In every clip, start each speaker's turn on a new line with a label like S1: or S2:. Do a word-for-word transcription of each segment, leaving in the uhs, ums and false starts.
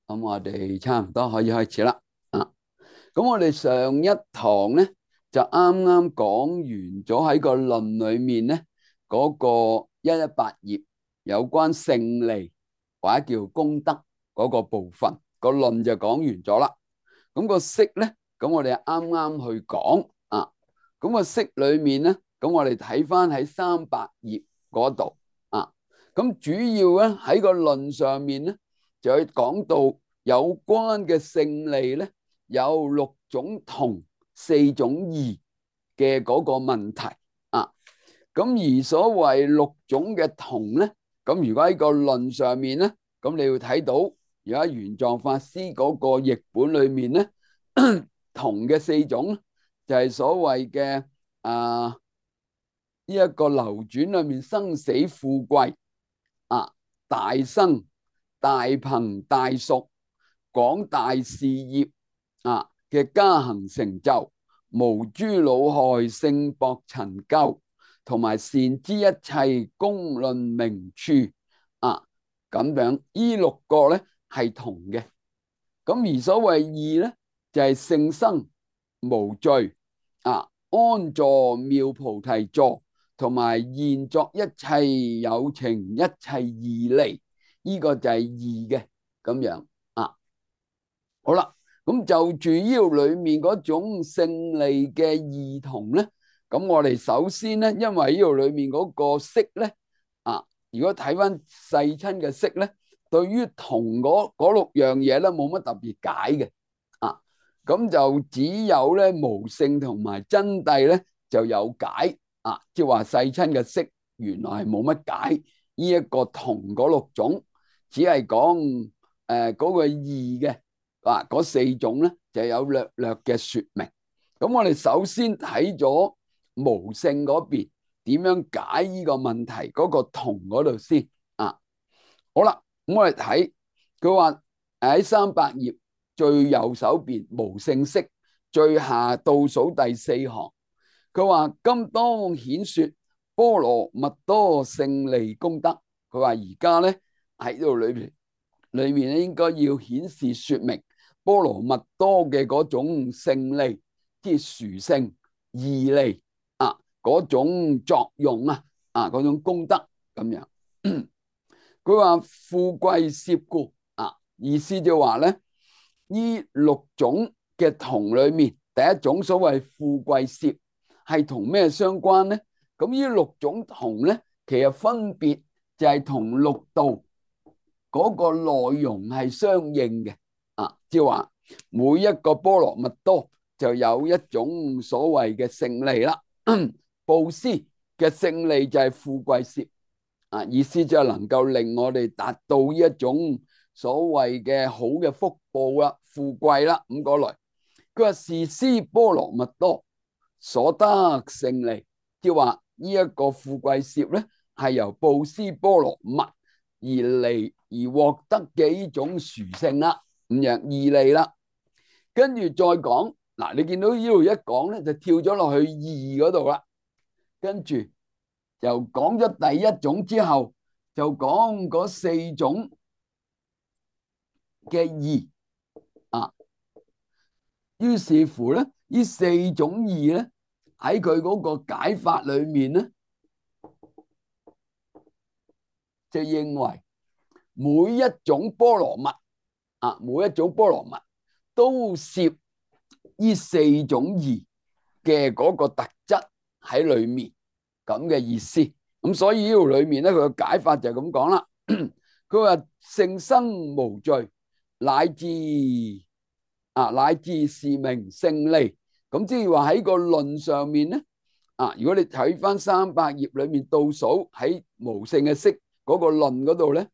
S1: 咁我哋差唔多可以開始啦。啊，咁我哋上一堂咧就啱啱講完咗喺個論裏面咧嗰個一一八頁有關勝利或者叫功德嗰個部分，個論就講完咗啦。咁個釋咧，咁我哋啱啱去講啊。咁個釋裏面咧，咁我哋睇翻喺三百頁嗰度啊。咁主要咧喺個論上面咧，就去講到有關嘅勝利咧，有六種同四種異嘅嗰個問題啊。咁而所謂六種嘅同咧，咁如果喺個論上面咧，咁你要睇到而家玄奘法師嗰個譯本裏面咧，同嘅四種就係所謂嘅啊呢一個流轉裏面生死富貴啊，大生大朋大熟廣大事業啊嘅加行成就，無諸惱害勝薄陳舊，同埋善知一切公論名處啊，咁樣呢六個咧係同嘅。咁而所謂異咧就係、是、勝生無罪啊，安坐妙菩提座，同埋現作一切有情一切義利，呢、這個就係異嘅咁樣啊。好啦，咁就住呢度裏面嗰種勝利嘅異同咧，咁我哋首先咧，因為呢度裏面嗰個釋咧啊，如果睇翻世親嘅釋咧，對於同嗰嗰六樣嘢咧冇乜特別解嘅啊，咁就只有咧無勝同埋真諦咧就有解啊，即係話世親嘅釋原來係冇乜解呢一個同嗰六種，只係講誒嗰個異嘅。啊，嗰四種咧就有略略嘅說明。咁我哋首先睇咗無勝嗰邊點樣解呢個問題嗰個同嗰度先啊。好啦，咁我哋睇佢話喺三百頁最右手邊無勝釋最下倒數第四行，佢話今當顯說波羅蜜多勝利功德。佢話而家咧喺度裏邊裏面咧應該要顯示說明波羅蜜多嘅嗰種勝利，即係殊勝義利啊，嗰種作用啊，啊嗰種功德咁樣。佢話富貴攝故啊，意思就話咧，呢六種嘅同裏面，第一種所謂富貴攝係同咩相關咧？咁呢六種同咧，其實分別就係同六道嗰個內容係相應嘅。啊，即係話每一個波羅蜜多就有一種所謂嘅勝利啦。布施嘅勝利就係富貴攝啊，意思就係能夠令我哋達到呢一種所謂嘅好嘅福報啦、富貴啦咁嗰類。佢話是施波羅蜜多所得勝利，即係話呢一個富貴攝咧係由布施波羅蜜而嚟而獲得嘅呢種殊勝啦。咁樣義利啦，跟住再講嗱，你見到呢度一講咧，就跳咗落去義嗰度啦。跟住又講咗第一種之後，就講嗰四種嘅義啊。於是乎咧，呢四種義咧喺佢嗰個解法裏面咧，就認為每一種波羅蜜。啊，每一種波羅蜜都攝呢四種義嘅嗰個特質喺裏面，咁嘅意思。咁所以呢度裏面咧，佢嘅解法就係咁講啦。佢話勝生無罪，乃至啊乃至是名勝利。咁即係話喺個論上面咧，啊，如果你睇翻三百頁裏面倒數喺無勝嘅釋嗰個論嗰度咧，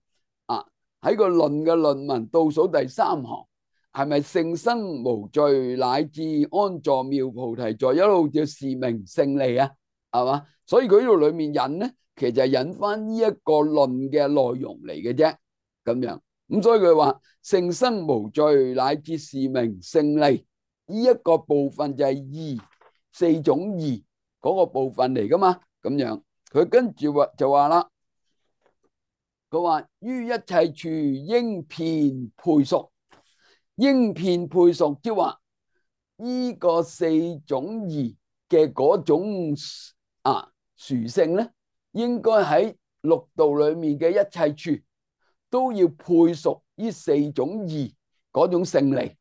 S1: 啊。喺個論嘅論文倒數第三行，係咪勝生無罪，乃至安坐妙菩提座，一路叫是名勝利啊？係嘛？所以佢呢度裏面引咧，其實係引翻呢一個論嘅內容嚟嘅啫。咁樣咁，所以佢話勝生無罪，乃至是名勝利，呢一個部分就係義四種義嗰個部分嚟噶嘛。咁樣佢跟住話就話啦。佢話於一切處應遍配屬應遍配屬，即係話呢個四種義嘅嗰種啊殊性咧，應該喺六道裏面嘅一切處都要配屬呢四種義嗰種勝利，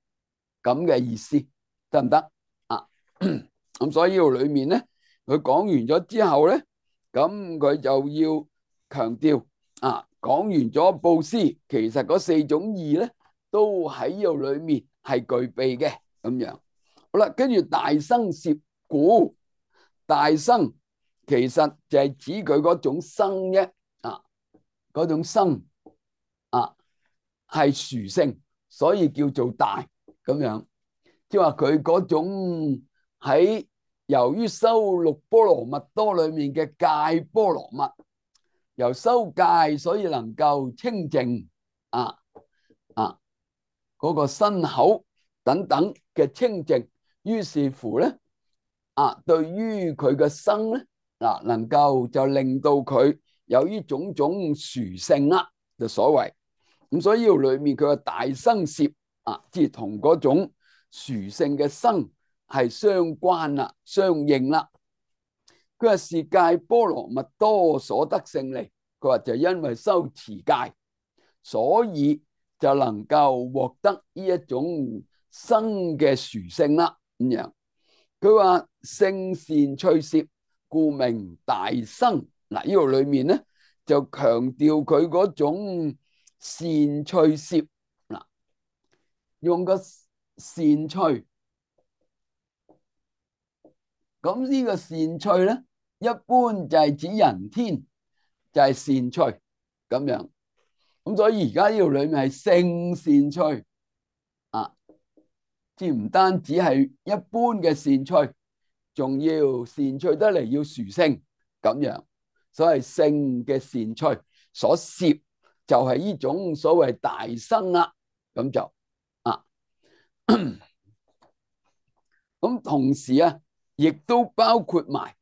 S1: 咁嘅意思得唔得啊？咁所以呢度裏面咧，佢講完咗之後咧，咁佢就要強調啊，講完咗布施，其實嗰四種義咧都喺呢度裏面係具備嘅咁樣。好啦，跟住大生攝故，大生其實就係指佢嗰種生啫，啊，嗰種生啊係殊勝，所以叫做大咁樣。即係話佢嗰種喺由於修六波羅蜜多裏面嘅戒波羅蜜，由修戒所以能夠清淨啊啊嗰個身口等等嘅清淨，於是乎咧啊，對於佢嘅生咧嗱，能夠就令到佢有呢種種殊勝啦，就所謂咁。所以呢度裏面佢嘅大生攝啊，即係同嗰種殊勝嘅生係相關啦，相應啦。佢話是戒波羅蜜多所得勝利，佢話就因為修持戒，所以就能夠獲得呢一種生嘅殊勝啦。咁樣佢話聖善趣攝，故名大生。嗱，呢度裏面咧就強調佢嗰種善趣攝，嗱，用個善趣。咁呢個善趣咧，一般就係指人天，就係善趣咁樣。咁所以而家呢度裏面係聖善趣啊，即唔單止係一般嘅善趣，仲要善趣得嚟要殊勝咁樣。所謂聖嘅善趣所攝就係呢種所謂大生啦，咁就啊，咁同時啊，亦都包括埋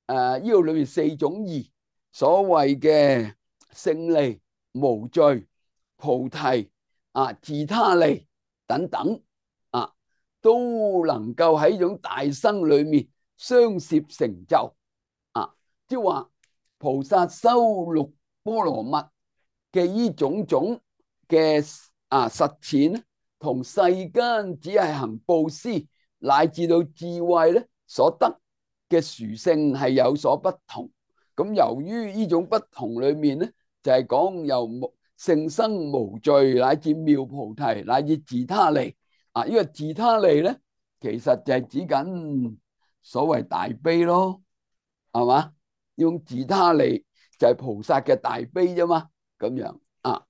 S1: 誒呢度裏面四種義，所謂嘅勝利、無罪、菩提啊、自他利等等啊，都能夠喺呢種大生裏面相攝成就啊，即係話菩薩修六波羅蜜嘅呢種種嘅啊實踐，同世間只係行布施乃至到智慧咧所得嘅殊勝係有所不同。咁由於呢種不同裏面咧，就係講由勝生無罪乃至妙菩提乃至自他利啊。呢個自他利咧，其實就係指緊所謂大悲咯，係嘛？用自他利就係菩薩嘅大悲啫嘛，咁樣啊。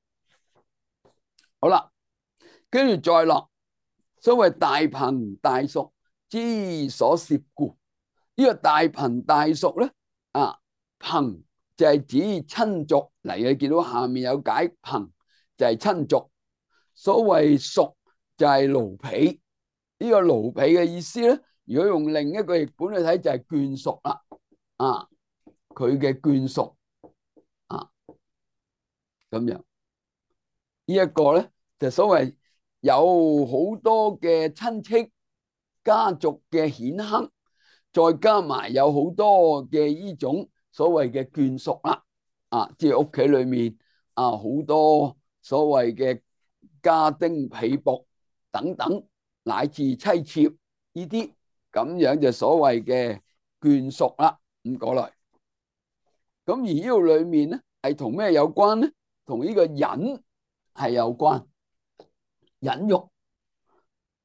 S1: 好啦，跟住再落所謂大貧大淑之所攝故。呢個大貧大淑咧啊，貧就係指親族嚟嘅，見到下面有解貧就係親族，所謂淑就係奴婢。呢個奴婢嘅意思咧，如果用另一個譯本去睇就係眷屬啦，啊，佢嘅眷屬啊，咁樣呢一個咧就所謂有好多嘅親戚家族嘅顯赫，再加埋有好多嘅呢種所謂嘅眷屬啦，啊，即係屋企裏面啊好多所謂嘅家丁婢僕等等，乃至妻妾呢啲咁樣就所謂嘅眷屬啦，咁過來。咁而呢度裏面咧係同咩有關咧？同呢個忍係有關，忍辱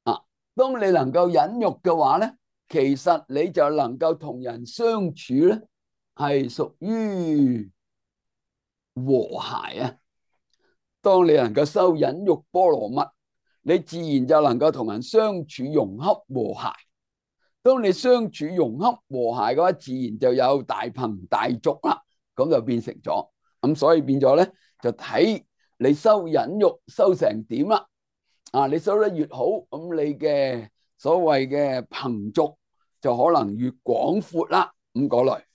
S1: 啊。當你能夠忍辱嘅話咧，其實你就能夠同人相處咧，係屬於和諧啊。當你能夠修忍辱波羅蜜，你自然就能夠同人相處融洽和諧。當你相處融洽和諧嘅話，自然就有大貧大淑啦。咁就變成咗咁，所以變咗咧，就睇你修忍辱修成點啦。啊，你修得越好，咁你嘅所謂嘅貧族就可能越廣闊啦。咁過來，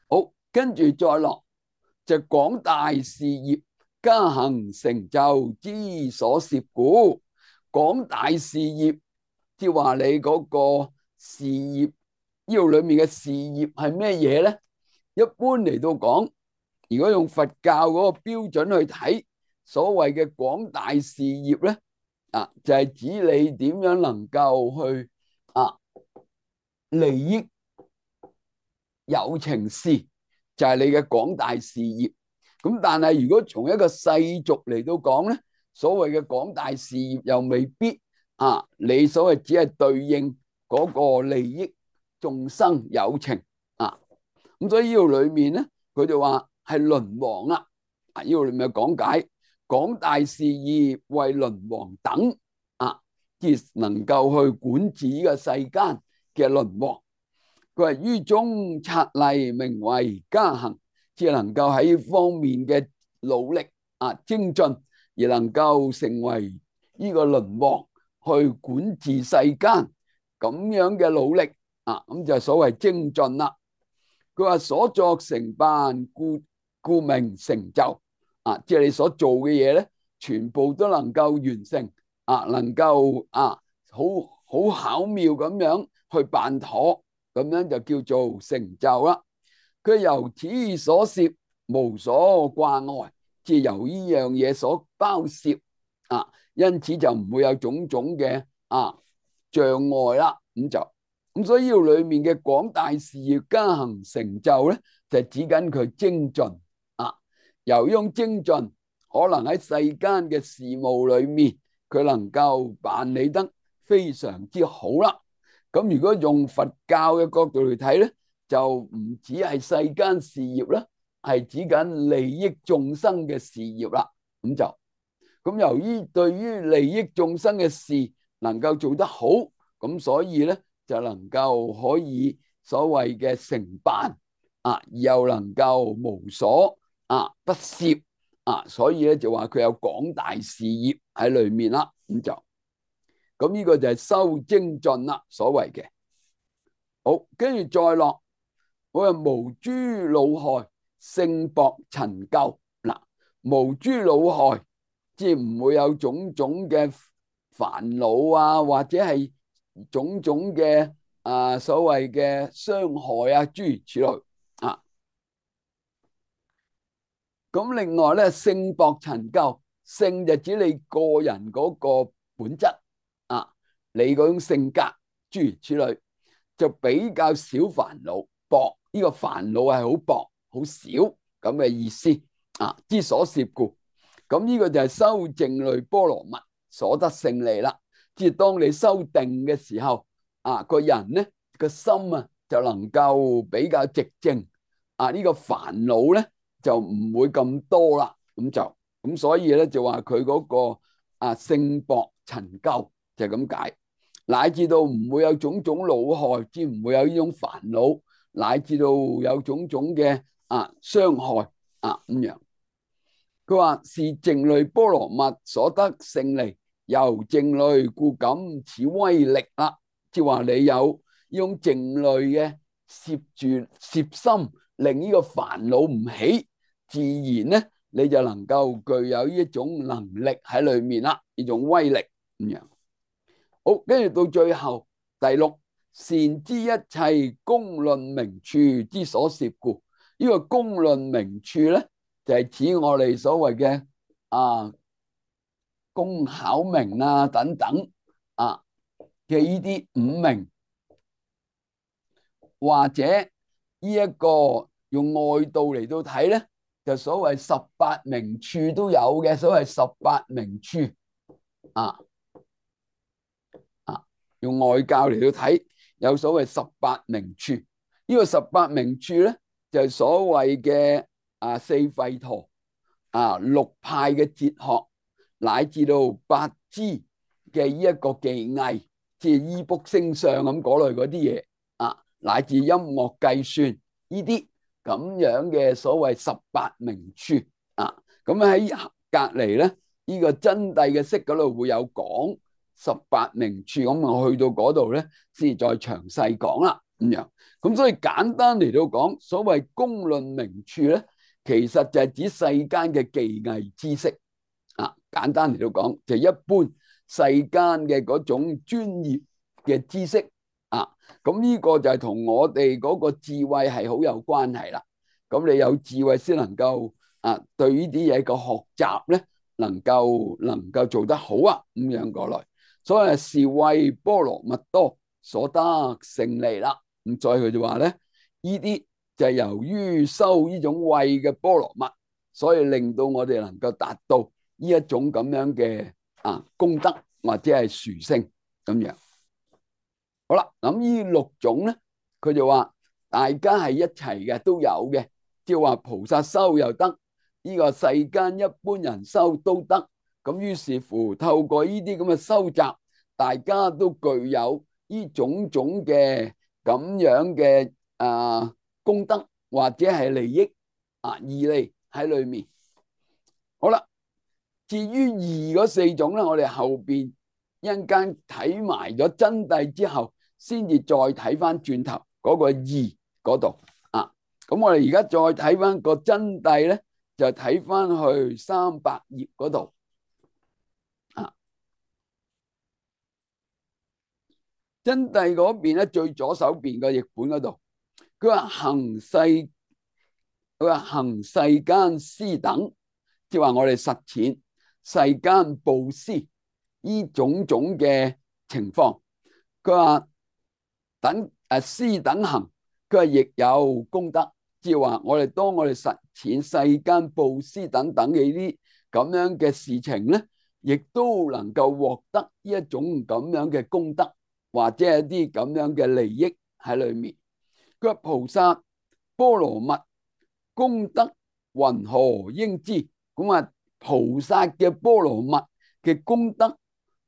S1: 好，跟住再落就廣大事業，加行成就之所攝故。廣大事業，即係話你嗰個事業，呢度裏面嘅事業係咩嘢咧？一般嚟到講，如果用佛教嗰個標準去睇，所謂嘅廣大事業咧，啊，就係指你點樣能夠去啊利益有情事，就係你嘅廣大事業。咁但係如果從一個世俗嚟到講咧，所謂嘅廣大事業又未必啊，你所謂只係對應嗰個利益眾生有情啊。咁所以呢度裏面咧，佢就話係輪王啦。啊，呢度裏面講解廣大事業為輪王等啊，即能夠去管治呢個世間嘅輪王。佢話於中策勵，名為加行，即係能夠喺呢方面嘅努力啊精進，而能夠成為呢個輪王去管治世間咁樣嘅努力啊，咁就所謂精進啦。佢話所作成辦，故故名成就啊，即係你所做嘅嘢咧，全部都能夠完成啊，能夠啊好好巧妙咁樣去辦妥。咁樣就叫做成就啦。佢由此所攝，無所掛礙，即係由呢樣嘢所包攝啊，因此就唔會有種種嘅啊障礙啦。咁就咁，所以呢度裏面嘅廣大事業加行成就咧，就係指緊佢精進啊。由呢種精進，可能喺世間嘅事務裏面，佢能夠辦理得非常之好啦。咁如果用佛教嘅角度嚟睇咧，就唔止係世間事業啦，係指緊利益眾生嘅事業啦。咁就咁，由於對於利益眾生嘅事能夠做得好，咁所以咧就能夠可以所謂嘅成辦啊，又能夠無所啊不攝啊，所以咧就話佢有廣大事業喺裏面啦。咁就咁呢個就係修精進啦，所謂嘅。好，跟住再落，我話無諸惱害，勝薄陳舊。嗱，無諸惱害，即係唔會有種種嘅煩惱啊，或者係種種嘅啊所謂嘅傷害啊，諸如此類啊。咁另外咧，勝薄陳舊，勝就指你個人嗰個本質啊，你嗰種性格，諸如此類，就比較少煩惱。薄呢個煩惱係好薄好少咁嘅意思啊，之所攝故。咁呢個就係修靜慮波羅蜜所得勝利啦。即係當你修定嘅時候啊，個人咧個心啊就能夠比較寂靜啊，呢個煩惱咧就唔會咁多啦。咁就咁，所以咧就話佢嗰個啊勝薄陳舊就係咁解，乃至到唔會有種種惱害，之唔會有呢種煩惱，乃至到有種種嘅啊傷害啊咁樣。佢話是靜慮波羅蜜所得勝利，由靜慮故感此威力啦。即係話你有呢種靜慮嘅攝住攝心，令呢個煩惱唔起，自然咧你就能夠具有呢一種能力喺裏面啦，呢種威力咁樣。好，跟住到最後第六，善知一切公論名處之所攝故。呢個公論名處咧，就係指我哋所謂嘅啊工巧名啊等等啊嘅呢啲五名，或者呢一個用外道嚟到睇咧，就所謂十八名處都有嘅，所謂十八名處啊啊，用外教嚟到睇，有所謂十八名處。呢個十八名處咧，就係所謂嘅啊四吠陀啊六派嘅哲學，乃至到八支嘅呢一個技藝，即係醫卜星相咁嗰類嗰啲嘢啊，乃至音樂計算呢啲咁樣嘅所謂十八名處啊。咁喺隔籬咧，呢個真諦嘅釋嗰度會有講十八名處，咁我去到嗰度咧，先再詳細講啦咁樣。咁所以簡單嚟到講，所謂公論名處咧，其實就係指世間嘅技藝知識啊。簡單嚟到講，就一般世間嘅嗰種專業嘅知識啊。咁呢個就係同我哋嗰個智慧係好有關係啦。咁你有智慧先能夠啊，對呢啲嘢嘅學習咧，能夠能夠做得好啊，咁樣過來。所以是為波羅蜜多所得勝利啦。咁再佢就話咧，呢啲就係由於修呢種慧嘅波羅蜜，所以令到我哋能夠達到呢一種咁樣嘅啊功德或者係殊勝咁樣。好啦，咁呢六種咧，佢就話大家係一齊嘅，都有嘅，即係話菩薩修又得，呢個世間一般人修都得。咁於是乎透過呢啲咁嘅修習，大家都具有呢種種嘅咁樣嘅啊功德或者係利益啊義利喺裏面。好啦，至於義嗰四種咧，我哋後邊一陣間睇埋咗真諦之後，先至再睇翻轉頭嗰個義嗰度啊。咁我哋而家再睇翻個真諦咧，就睇翻去三百頁嗰度啊。真諦嗰邊咧，最左手邊個譯本嗰度，佢話行世，佢話行世間施等，即係話我哋實踐世間布施呢種種嘅情況。佢話等誒施等行，佢話亦有功德，即係話我哋當我哋實踐世間布施等等嘅呢啲咁樣嘅事情咧，亦都能夠獲得呢一種咁樣嘅功德，或者係一啲咁樣嘅利益喺裏面。佢話菩薩波羅蜜功德云何應知？咁啊，菩薩嘅波羅蜜嘅功德，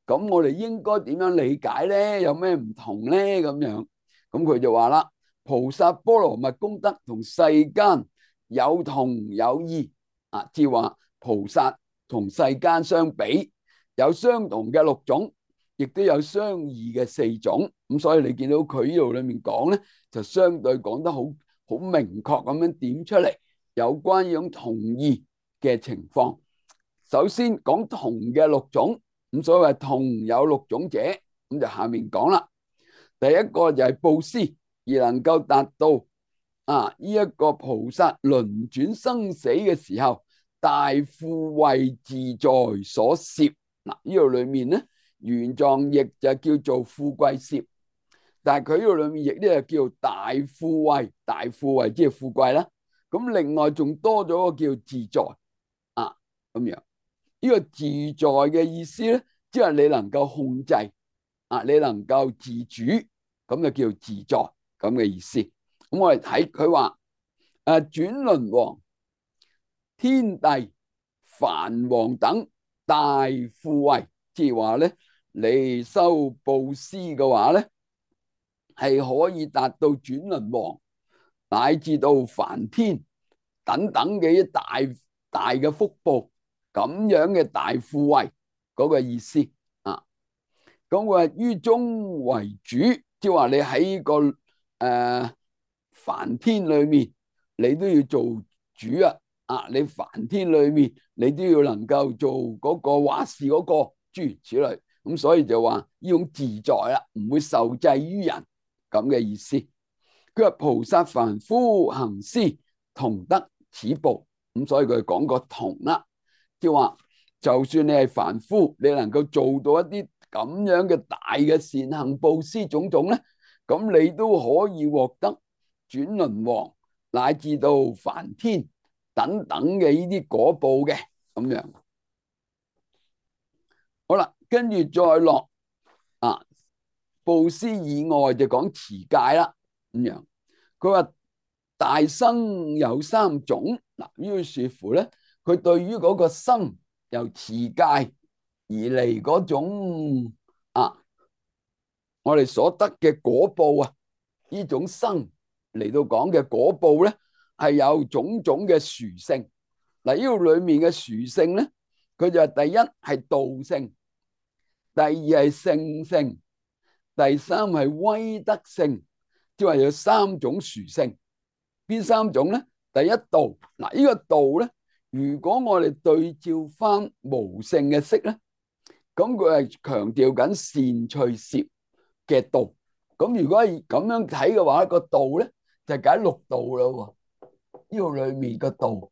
S1: 咁我哋應該點樣理解咧？有咩唔同咧？咁樣，咁佢就話啦，菩薩波羅蜜功德同世間有同有異啊，即係話菩薩同世間相比，有相同嘅六種，亦都有相異嘅四種。咁所以你見到佢呢度裏面講咧，就相對講得好好明確咁樣點出嚟，有關呢種同異嘅情況。首先講同嘅六種，咁所謂同有六種者，咁就下面講啦。第一個就係布施，而能夠達到啊呢一個菩薩輪轉生死嘅時候，大富慧自在所攝。嗱，呢度裏面咧，原藏譯就叫做富貴攝，但係佢呢度裏面譯咧就叫大富慧，大富慧即係富貴啦。咁另外仲多咗個叫自在啊，咁樣。呢個自在嘅意思咧，即係你能夠控制啊，你能夠自主，咁就叫自在咁嘅意思。咁我哋睇佢話誒，轉輪王、天帝、梵王等大富慧，即係話咧，你修布施嘅話咧，係可以達到轉輪王乃至到梵天等等嘅一大大嘅福報。咁樣嘅大富慧嗰個意思啊，咁佢話於中為主，即係話你喺個誒梵天裏面，你都要做主啊！啊，你梵天裏面，你都要能夠做嗰個話事嗰個諸如此類，咁所以就話呢種自在啦，唔會受制於人咁嘅意思。佢話菩薩凡夫行施同得此報，咁所以佢講個同啦。即係話，就算你係凡夫，你能夠做到一啲咁樣嘅大嘅善行布施種種咧，咁你都可以獲得轉輪王乃至到梵天等等嘅呢啲果報嘅咁樣。好啦，跟住再落啊，布施以外就講持戒啦咁樣。佢話大生有三種，嗱，於是乎咧。佢對於嗰個心由持戒而嚟嗰種啊，我哋所得嘅果報啊，呢種生嚟到講嘅果報咧，係有種種嘅殊勝。嗱，呢度裏面嘅殊勝咧，佢就係第一係道性，第二係聖性，第三係威德性，即係話有三種殊勝。邊三種咧？第一道嗱，呢個道咧，如果我哋對照翻無性嘅色咧，咁佢係強調緊善趣攝嘅道。咁如果係咁樣睇嘅話，個道咧就係解六道啦。呢度裏面個道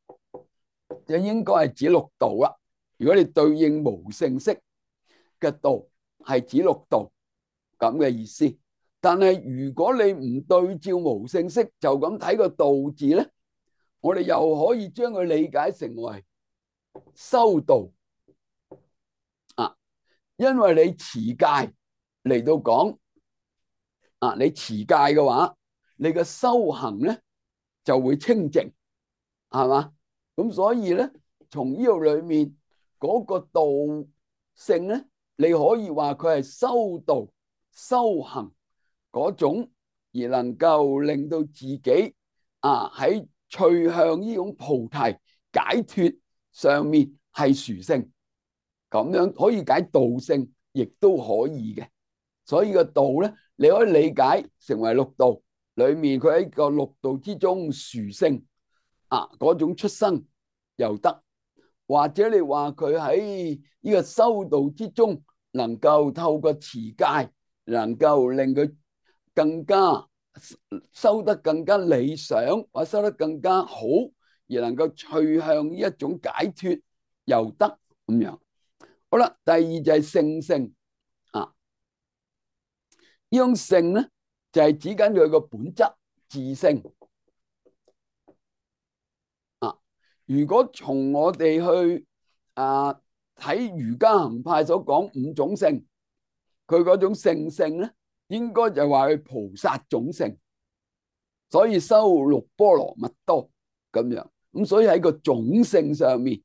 S1: 就應該係指六道啦。如果你對應無性色嘅道，係指六道咁嘅意思。但係如果你唔對照無性色，就咁睇個道字咧，我哋又可以將佢理解成為修道啊。因為你持戒嚟到講啊，你持戒嘅話，你嘅修行咧就會清淨，係嘛？咁所以咧，從呢度裏面嗰個道性咧，你可以話佢係修道修行嗰種，而能夠令到自己啊喺趨向呢種菩提解脫上面係殊勝，咁樣可以解道性，亦都可以嘅。所以個道咧，你可以理解成為六道裏面，佢喺個六道之中殊勝啊嗰種出生又得，或者你話佢喺呢個修道之中，能夠透過持戒，能夠令佢更加修得更加理想，或者修得更加好，而能夠趨向呢一種解脫又得咁樣。好啦，第二就係聖性啊，呢種性咧就係指緊佢個本質自性啊。如果從我哋去啊睇瑜伽行派所講五種性，佢嗰種聖性咧，應該就話佢菩薩種性，所以修六波羅蜜多咁樣。咁所以喺個種性上面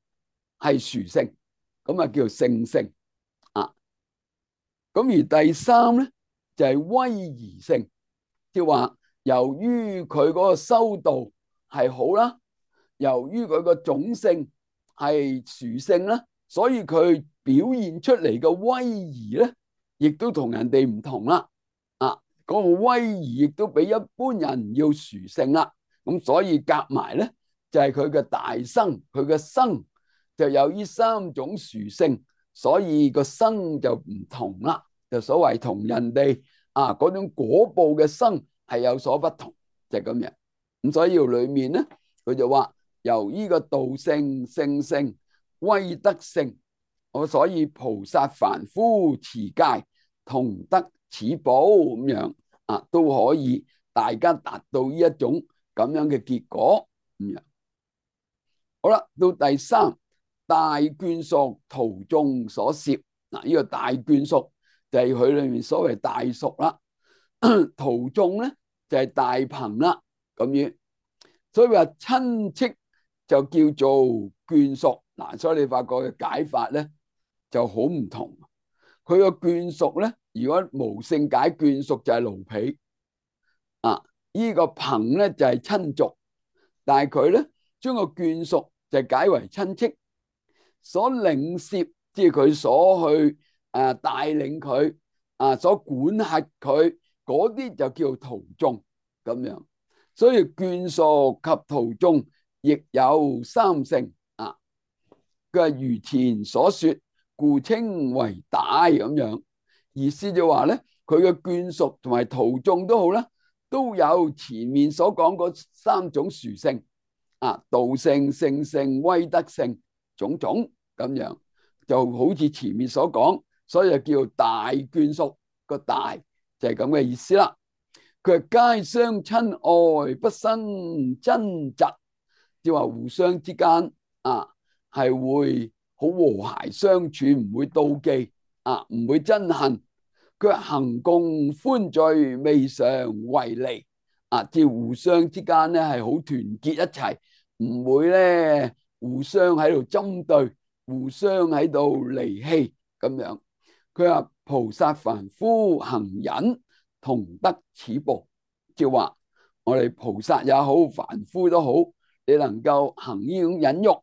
S1: 係殊勝，咁啊叫做聖性啊。咁而第三咧就係威儀性，即係話由於佢嗰個修道係好啦，由於佢個種性係殊勝啦，所以佢表現出嚟嘅威儀咧，亦都同人哋唔同啦。啊，嗰個威儀亦都比一般人要殊勝啦。咁所以夾埋咧就係佢嘅大生，佢嘅生就有呢三種殊勝，所以個生就唔同啦。就所謂同人哋啊嗰種果報嘅生係有所不同，就係咁樣。咁所以裏面咧，佢就話由呢個道性、聖性、威德性，我所以菩薩凡夫持戒同得此報咁樣啊，都可以大家達到呢一種咁樣嘅結果咁樣。好啦，到第三大眷屬途眾所攝嗱，呢個大眷屬就係佢裏面所謂大屬啦，途眾咧就係大朋啦咁樣。所以話親戚就叫做眷屬嗱，所以你發覺嘅解法咧就好唔同。佢個眷屬咧，如果無性解眷屬就係奴婢啊，呢個朋咧就係親族，但係佢咧將個眷屬就解為親戚，所領攝即係佢所去誒帶領佢啊，所管轄佢嗰啲就叫途眾咁樣。所以眷屬及途眾亦有三性啊。佢係如前所說，故稱為大咁樣。意思就話咧，佢嘅眷屬同埋途眾都好啦，都有前面所講嗰三種殊性啊，道性、聖性、威德性種種咁樣，就好似前面所講，所以就叫大眷屬。個大就係咁嘅意思啦。佢係皆相親愛，不生爭執，即係話互相之間啊係會好和諧相處，唔會妒忌啊，唔會憎恨。佢行共歡聚，未嘗為離啊，即係互相之間咧係好團結一齊，唔會咧互相喺度針對，互相喺度離棄咁樣。佢話菩薩凡夫行忍，同得此報，即係話我哋菩薩也好，凡夫都好，你能夠行呢種忍辱，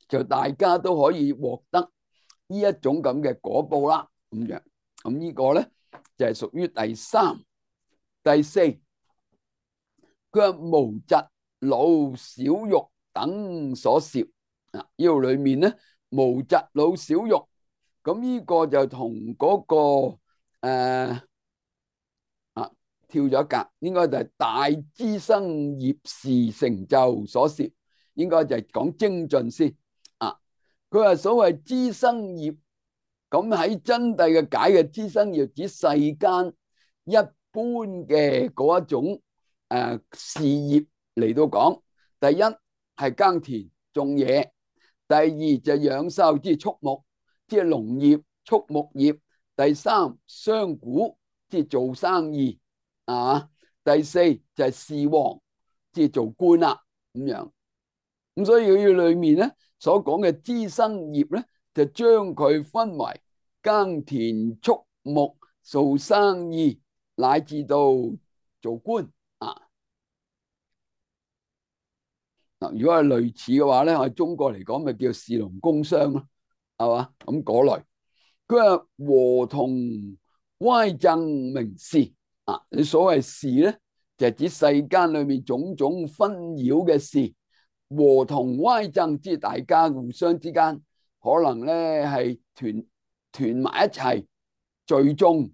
S1: 就大家都可以獲得呢一種咁嘅果報啦。咁樣咁呢個咧就係屬於第三、第四佢話無疾老少育等所攝啊，呢度裏面咧無疾老少育，咁呢個就同嗰、那個誒、呃、啊跳咗一格，應該就係大資生業時成就所攝，應該就係講精進先啊。佢話所謂資生業，咁喺真諦嘅解嘅資生業指世間一般嘅嗰一種誒、呃、事業嚟到講，第一係耕田種嘢，第二就養獸，即係畜牧，即係農業、畜牧業，第三商賈，即係做生意啊，第四就係事王，即係做官啦咁樣。咁所以佢裏面咧所講嘅資生業咧，就將佢分為耕田、畜牧、做生意，乃至到做官啊。嗱，如果係類似嘅話咧，我哋中國嚟講咪叫士農工商咯，係嘛？咁嗰類，佢話和同歪諍名事啊，你所謂事咧，就係指世間裏面種種紛擾嘅事。和同歪諍，即係大家互相之間可能咧係團團埋一齊聚眾，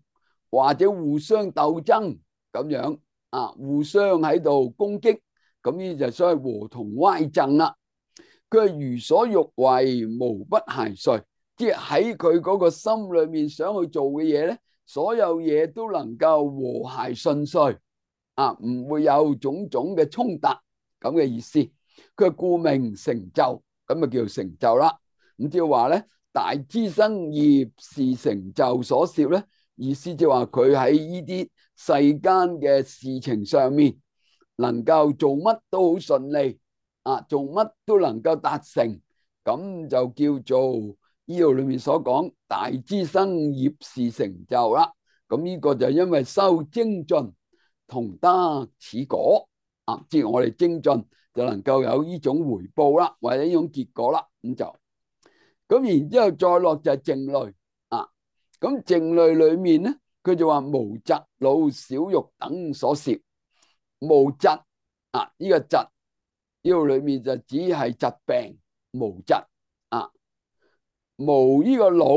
S1: 或者互相鬥爭咁樣啊，互相喺度攻擊，咁呢就所謂和同歪諍啦。佢係如所欲為，無不諧遂，即係喺佢嗰個心裏面想去做嘅嘢咧，所有嘢都能夠和諧順遂啊，唔會有種種嘅衝突咁嘅意思。佢故名成就，咁啊叫做成就啦。咁即係話咧，大資生業時成就所攝咧，意思即係話佢喺呢啲世間嘅事情上面，能夠做乜都好順利啊，做乜都能夠達成，咁就叫做呢度裏面所講大資生業時成就啦。咁呢個就因為修精進同得此果啊，即係我哋精進就能夠有呢種回報啦，或者呢種結果啦，咁就咁然之後再落就係靜慮啊。咁靜慮裏面咧，佢就話無疾老少育等所攝。無疾啊，呢、這個疾呢度裏面就只係疾病無疾啊。無呢個老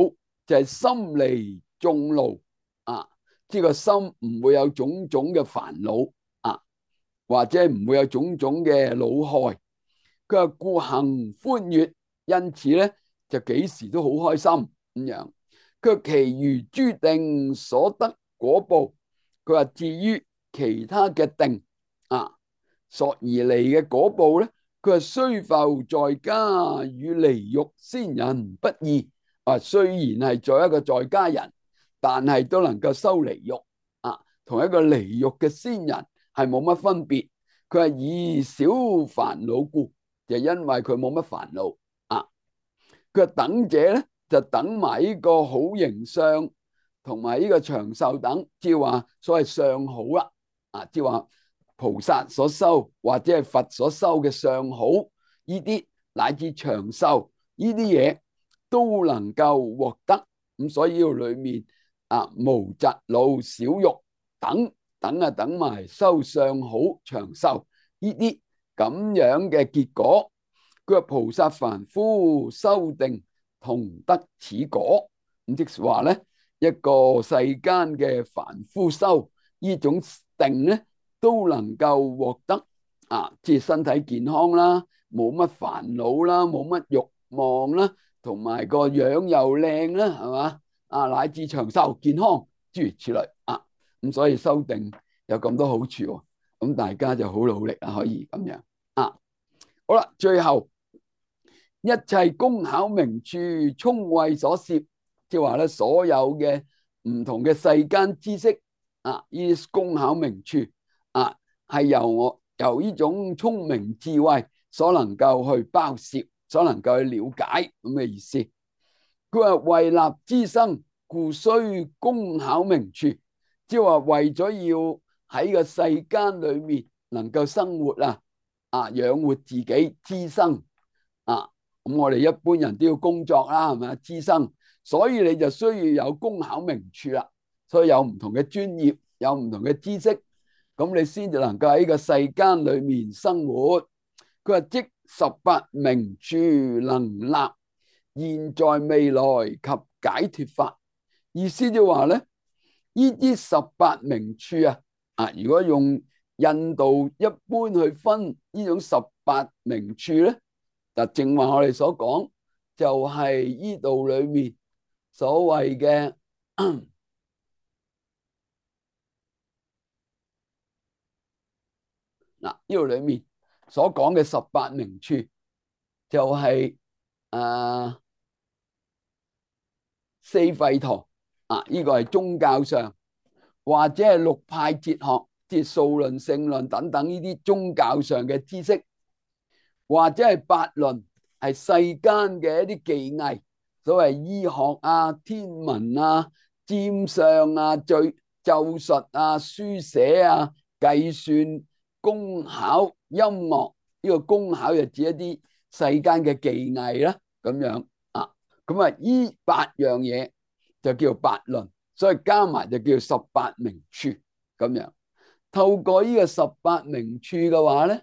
S1: 就係心離眾勞啊，即係個心唔會有種種嘅煩惱啊，或者唔會有種種嘅惱害。佢話故行歡悅，因此咧就幾時都好開心咁樣。佢話其餘諸定所得果報，佢話至於其他嘅定啊，所而嚟嘅果報咧，佢話雖復在家與離欲仙人不異啊，雖然係做一個在家人，但係都能夠修離欲啊，同一個離欲嘅仙人係冇乜分別。佢係以少煩惱故，就因為佢冇乜煩惱啊。佢等者咧就等埋呢個好形相同埋呢個長壽等，即係話所謂相好啦啊，即係話菩薩所修或者係佛所修嘅相好，呢啲乃至長壽呢啲嘢都能夠獲得。咁所以呢度裏面啊，無疾老少育等等啊，等埋修相好長壽呢啲咁樣嘅結果。佢話菩薩凡夫修定同得此果，咁即係話咧，一個世間嘅凡夫修呢種定咧，都能夠獲得啊，即係身體健康啦，冇乜煩惱啦，冇乜慾望啦，同埋個樣又靚啦，係嘛啊，乃至長壽健康諸如此類啊。咁所以修定有咁多好處喎，咁大家就好努力啊，可以咁樣啊。好啦，最後一切工巧名處聰慧所攝，即係話咧，所有嘅唔同嘅世間知識啊，呢啲工巧名處啊，係由我由呢種聰明智慧所能夠去包攝，所能夠去了解咁嘅意思。佢話為立資生，故須工巧名處，即係話為咗要喺個世間裏面能夠生活啊，啊養活自己資生啊。咁我哋一般人都要工作啦，係咪啊？資生，所以你就需要有工巧名處啦。所以有唔同嘅專業，有唔同嘅知識，咁你先至能夠喺個世間裏面生活。佢話即十八名處能立現在未來及解脫法，意思就話咧，呢啲十八名處啊，啊，如果用印度一般去分呢種十八名處咧，就正話我哋所講，就係呢度裏面所謂嘅嗱，呢度裏面所講嘅十八名處就係、是、啊四吠陀啊，呢、這個係宗教上，或者係六派哲學，即係數論、勝論等等呢啲宗教上嘅知識，或者係八論，係世間嘅一啲技藝，所謂醫學啊、天文啊、占相啊、咒咒術啊、書寫啊、計算、工巧、音樂。呢個工巧就指一啲世間嘅技藝啦，咁樣啊，咁啊，呢八樣嘢就叫八論，所以加埋就叫十八名處咁樣。透過呢個十八名處嘅話咧，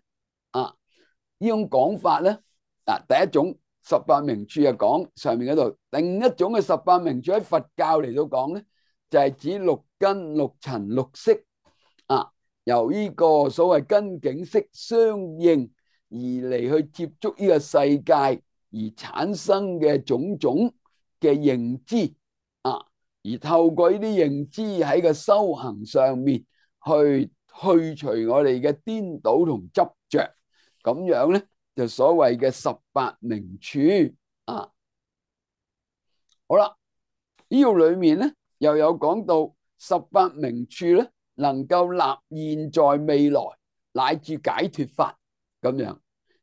S1: 啊，呢種講法咧，嗱，第一種十八名處係講上面嗰度，另一種嘅十八名處喺佛教嚟到講咧，就係指六根、六塵、六識啊，由呢個所謂根境識相應而嚟去接觸呢個世界而產生嘅種種嘅認知啊，而透過呢啲認知喺個修行上面去去除我哋嘅顛倒同執着，咁樣咧就所謂嘅十八名處啊。好啦，呢度裏面咧又有講到十八名處咧能夠立現在未來乃至解脫法咁樣。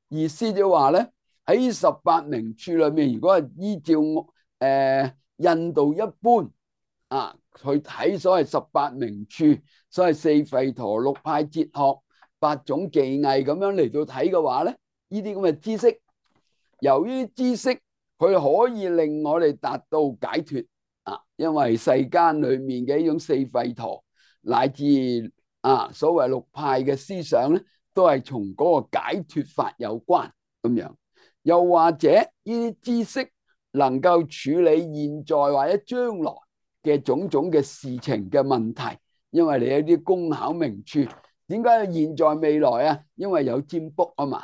S1: 意思就話咧，喺十八名處裏面，如果係依照誒、呃、印度一般啊去睇所謂十八名處，所謂四吠陀、六派哲學、八種技藝咁樣嚟到睇嘅話咧，呢啲咁嘅知識，由於知識佢可以令我哋達到解脫啊，因為世間裏面嘅呢種四吠陀乃至啊所謂六派嘅思想咧，都係從嗰個解脫法有關咁樣。又或者呢啲知識能夠處理現在或者將來嘅種種嘅事情嘅問題，因為你有啲工巧名處，點解要現在未來啊？因為有占卜啊嘛，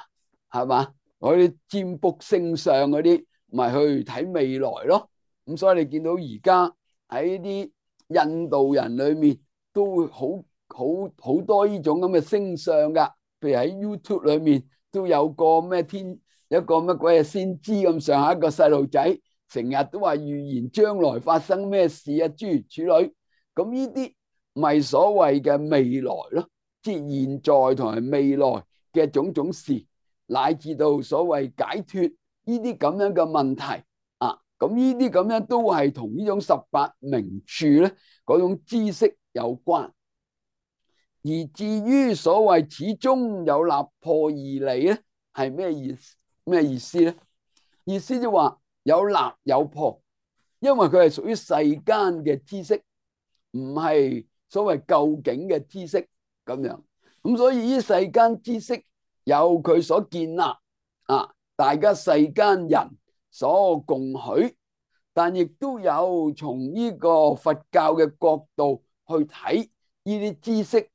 S1: 係嘛？嗰啲占卜星相嗰啲，咪去睇未來咯。咁所以你見到而家喺啲印度人裏面都會好好好多呢種咁嘅星相噶，譬如喺 YouTube 裏面都有個咩天一個乜鬼嘢先知咁上下一個細路仔，成日都話預言將來發生咩事啊，諸如此類。咁呢啲咪所謂嘅未來咯，即係現在同埋未來嘅種種事，乃至到所謂解脫呢啲咁樣嘅問題啊。咁呢啲咁樣都係同呢種十八名處咧嗰種知識有關。而至於所謂始終有立破義理咧，係咩意思？咩意思咧？意思就話有立有破，因為佢係屬於世間嘅知識，唔係所謂究竟嘅知識咁樣。咁所以呢世間知識有佢所建立啊，大家世間人所共許，但亦都有從呢個佛教嘅角度去睇呢啲知識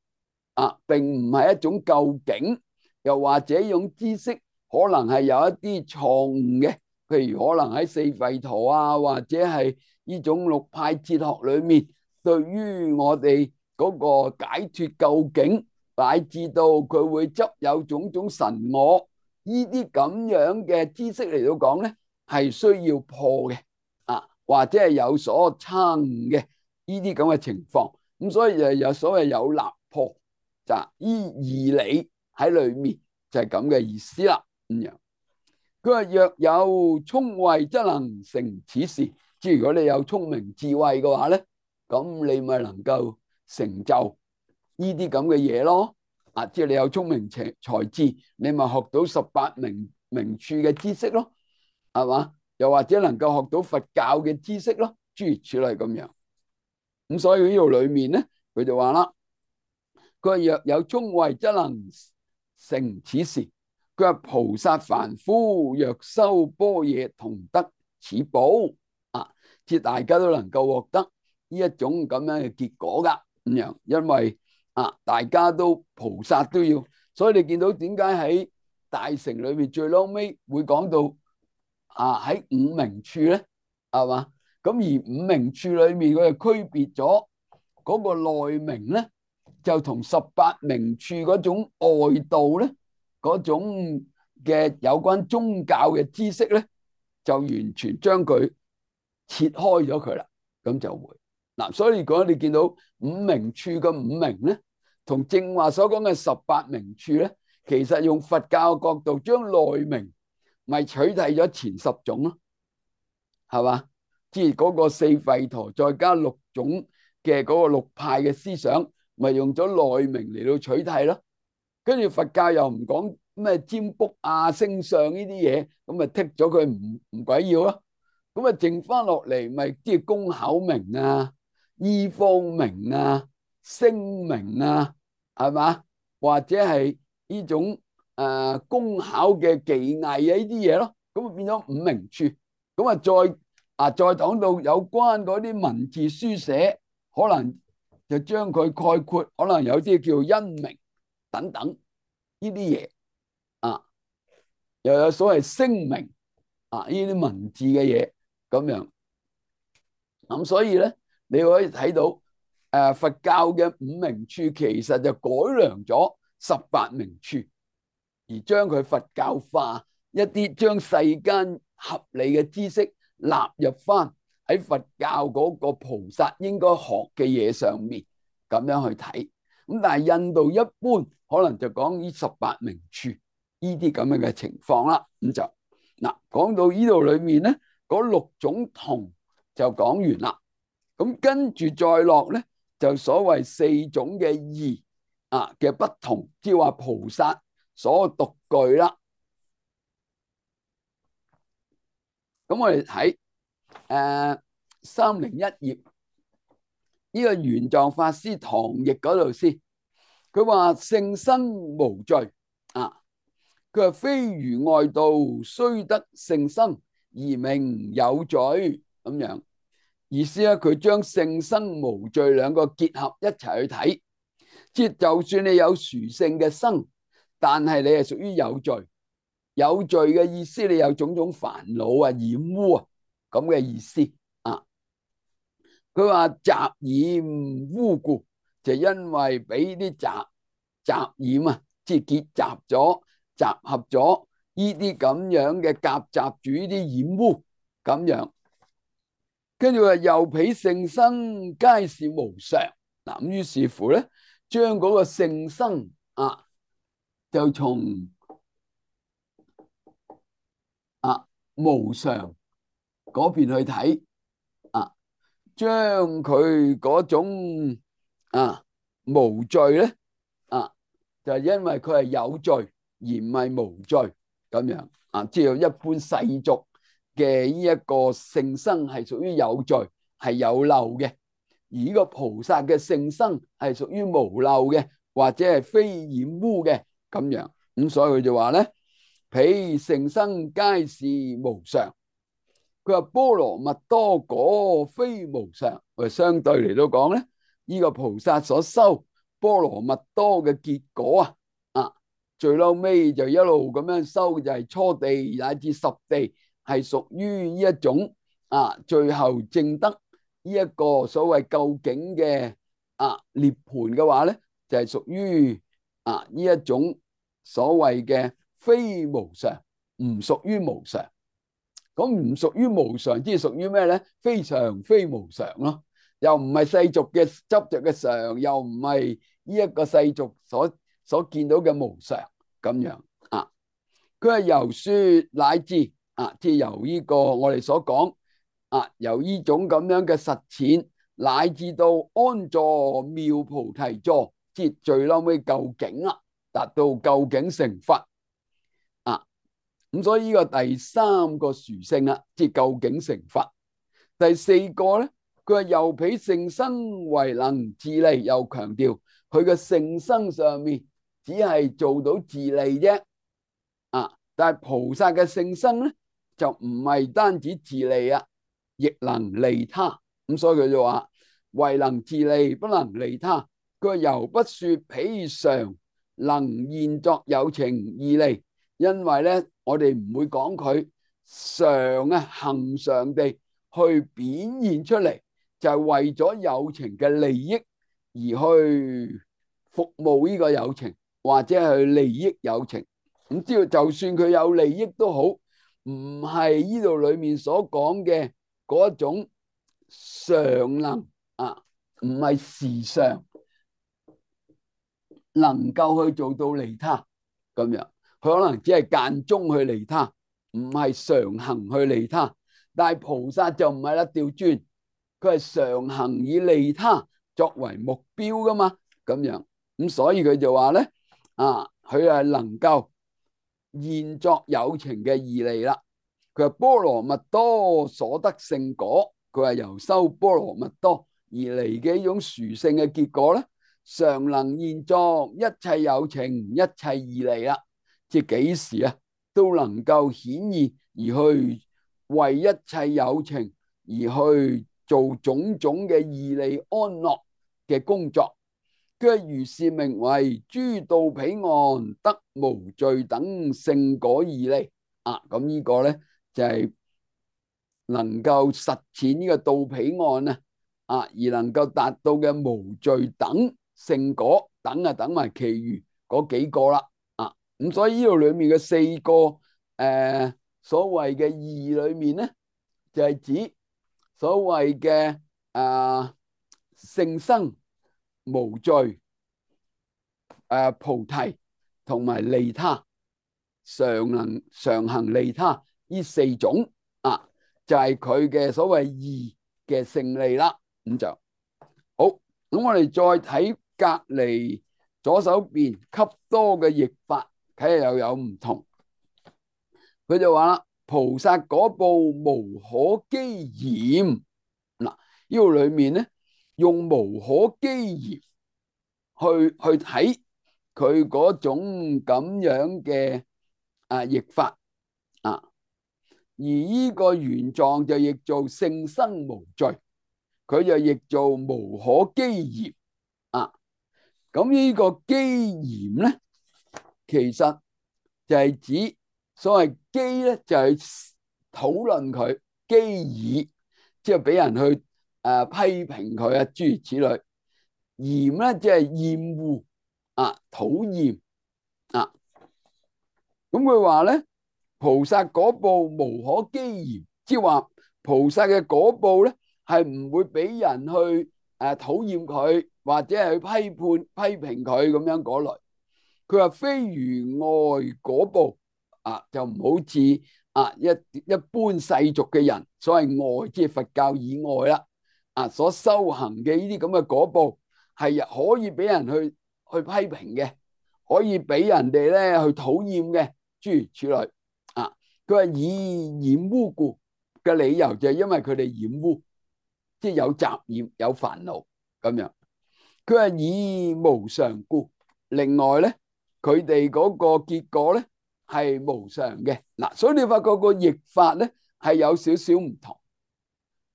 S1: 啊，並唔係一種究竟，又或者呢種知識可能係有一啲錯誤嘅，譬如可能喺四吠陀啊，或者係呢種六派哲學裏面，對於我哋嗰個解脫究竟，乃至到佢會執有種種神我呢啲咁樣嘅知識嚟到講咧，係需要破嘅啊，或者係有所差誤嘅呢啲咁嘅情況。咁所以就有所謂有立破，就依義理喺裏面，就係咁嘅意思啦。咁樣佢話若有聰慧，則能成此事。即係如果你有聰明智慧嘅話咧，咁你咪能夠成就呢啲咁嘅嘢咯。啊，即係你有聰明才才智，你咪學到十八名名處嘅知識咯，係嘛？又或者能夠學到佛教嘅知識咯，諸如此類咁樣。咁所以呢度裏面咧，佢就話啦，佢話若有聰慧，則能成此事。佢話菩薩凡夫若修般若，同得此報。啊，即大家都能夠獲得呢一種咁樣嘅結果噶咁樣，因為啊，大家都菩薩都要，所以你見到點解喺大乘裏面最撈尾會講到啊喺五明處咧，係嘛？咁而五明處裏面佢就區別咗嗰個內明咧，就同十八明處嗰種外道咧，嗰種嘅有關宗教嘅知識咧，就完全將佢切開咗佢啦，咁就會嗱。所以如果你見到五明處嘅五明咧，同正話所講嘅十八明處咧，其實用佛教嘅角度將內明咪取替咗前十種咯，係嘛？即係嗰個四吠陀再加六種嘅嗰個六派嘅思想，咪用咗內明嚟到取替咯。跟住佛教又唔講咩占卜啊、星相呢啲嘢，咁咪剔咗佢唔唔鬼要咯。咁啊剩翻落嚟咪即係工巧明啊、醫方明啊、聲明啊，係嘛？或者係呢種誒工巧嘅技藝啊呢啲嘢咯。咁啊變咗五明處。咁啊再啊再講到有關嗰啲文字書寫，可能就將佢概括，可能有啲叫因明等等呢啲嘢啊，又有所謂聲明啊呢啲文字嘅嘢咁樣。咁所以咧，你可以睇到誒佛教嘅五明處其實就改良咗十八明處，而將佢佛教化一啲，將世間合理嘅知識納入翻喺佛教嗰個菩薩應該學嘅嘢上面，咁樣去睇。咁但係印度一般可能就講呢十八明處呢啲咁樣嘅情況啦。咁就嗱講到呢度裏面咧，嗰六種同就講完啦。咁跟住再落咧，就所謂四種嘅異啊嘅不同，即係話菩薩所獨具啦。咁我哋睇誒三零一頁呢個玄奘法師唐譯嗰度先，佢話聖生無罪啊，佢話非如外道雖得聖生而名有罪咁樣。意思咧，佢將聖生無罪兩個結合一齊去睇，即係就算你有殊勝嘅生，但係你係屬於有罪。有罪嘅意思，你有種種煩惱啊、染污啊咁嘅意思啊。佢話雜染污故，就因為俾啲雜雜染啊，即係結集咗、集合咗呢啲咁樣嘅夾雜住呢啲染污咁樣。跟住話又彼聖生皆是無常，嗱咁於是乎咧，將嗰個聖生啊，就從啊無常嗰邊去睇啊，將佢嗰種啊無罪咧啊，就係因為佢係有罪而唔係無罪咁樣啊，即係一般世俗嘅呢一個聖生係屬於有罪，係有漏嘅，而呢個菩薩嘅聖生係屬於無漏嘅，或者係非染污嘅咁樣。咁所以佢就話咧，彼聖生皆是無常。佢話波羅蜜多果非無常，佢相對嚟到講咧，呢個菩薩所修波羅蜜多嘅結果啊，啊最後尾就一路咁樣修，就係初地乃至十地。係屬於呢一種啊，最後證得呢一個所謂究竟嘅啊涅槃嘅話咧，就係屬於啊呢一種所謂嘅非無常，唔屬於無常。咁唔屬於無常，即係屬於咩咧？非常非無常咯，又唔係世俗嘅執着嘅常，又唔係呢一個世俗所所見到嘅無常咁樣啊。佢係由說乃至。啊！即係由呢個我哋所講啊，由呢種咁樣嘅實踐，乃至到安坐妙菩提座，即係最嬲尾究竟啦，達到究竟成佛啊！咁所以呢個第三個殊勝啦，即係究竟成佛。第四個咧，佢話又彼聖生為能自利，又強調佢嘅性生上面只係做到自利啫。啊，但係菩薩嘅性生咧就唔係單止自利啊，亦能利他。咁所以佢就話唯能自利，不能利他。佢話猶不說彼常能現作有情義利，因為咧我哋唔會講佢常啊恒常地去表現出嚟，就係為咗有情嘅利益而去服務呢個有情，或者去利益有情。咁知道就算佢有利益都好，唔係呢度裏面所講嘅嗰種常能啊，唔係時常能夠去做到利他咁樣，佢可能只係間中去利他，唔係常行去利他。但係菩薩就唔係啦，調轉，佢係常行以利他作為目標噶嘛，咁樣咁所以佢就話咧啊，佢係能夠現作有情嘅義利啦。佢話波羅蜜多所得勝果，佢話由修波羅蜜多而嚟嘅一種殊勝嘅結果咧，常能現作一切有情一切義利啦。即係幾時啊都能夠顯現而去為一切有情而去做種種嘅義利安樂嘅工作。佢如是名為諸道彼岸得無罪等勝果義利啊。咁呢個咧就係、是、能夠實踐呢個道彼岸啊啊，而能夠達到嘅無罪等勝果等啊，等埋其餘嗰幾個啦啊。咁所以呢度裏面嘅四個誒、呃、所謂嘅義裏面咧，就係、是、指所謂嘅誒勝生無罪、誒菩提同埋利他，常能常行利他呢四種啊，就係佢嘅所謂義嘅勝利啦。咁就好。咁我哋再睇隔籬左手邊笈多嘅譯法，睇下又有唔同。佢就話啦：菩薩果報無可譏嫌。嗱，呢度裏面咧用無可譏嫌去去睇佢嗰種咁樣嘅啊譯法啊，而呢個原狀就譯做勝生無罪，佢就譯做無可譏嫌啊。咁呢個譏嫌咧，其實就係指所謂譏咧，就係討論佢，譏議，即係俾人去誒、呃、批評佢啊，諸如此類。嫌咧即係厭惡啊，討厭啊。咁佢話咧，菩薩果報無可譏嫌，即係話菩薩嘅果報咧係唔會俾人去誒討厭佢，或者係去批判批評佢咁樣嗰類。佢話非如外果報啊，就唔好似啊一一般世俗嘅人，所謂外即係佛教以外啦啊，所修行嘅呢啲咁嘅果報係可以俾人去去批評嘅，可以俾人哋咧去討厭嘅，諸如此類啊。佢話以染污故嘅理由就係因為佢哋染污，即係有雜染有煩惱咁樣。佢話以無常故，另外咧佢哋嗰個結果咧係無常嘅嗱，所以你發覺個譯法咧係有少少唔同。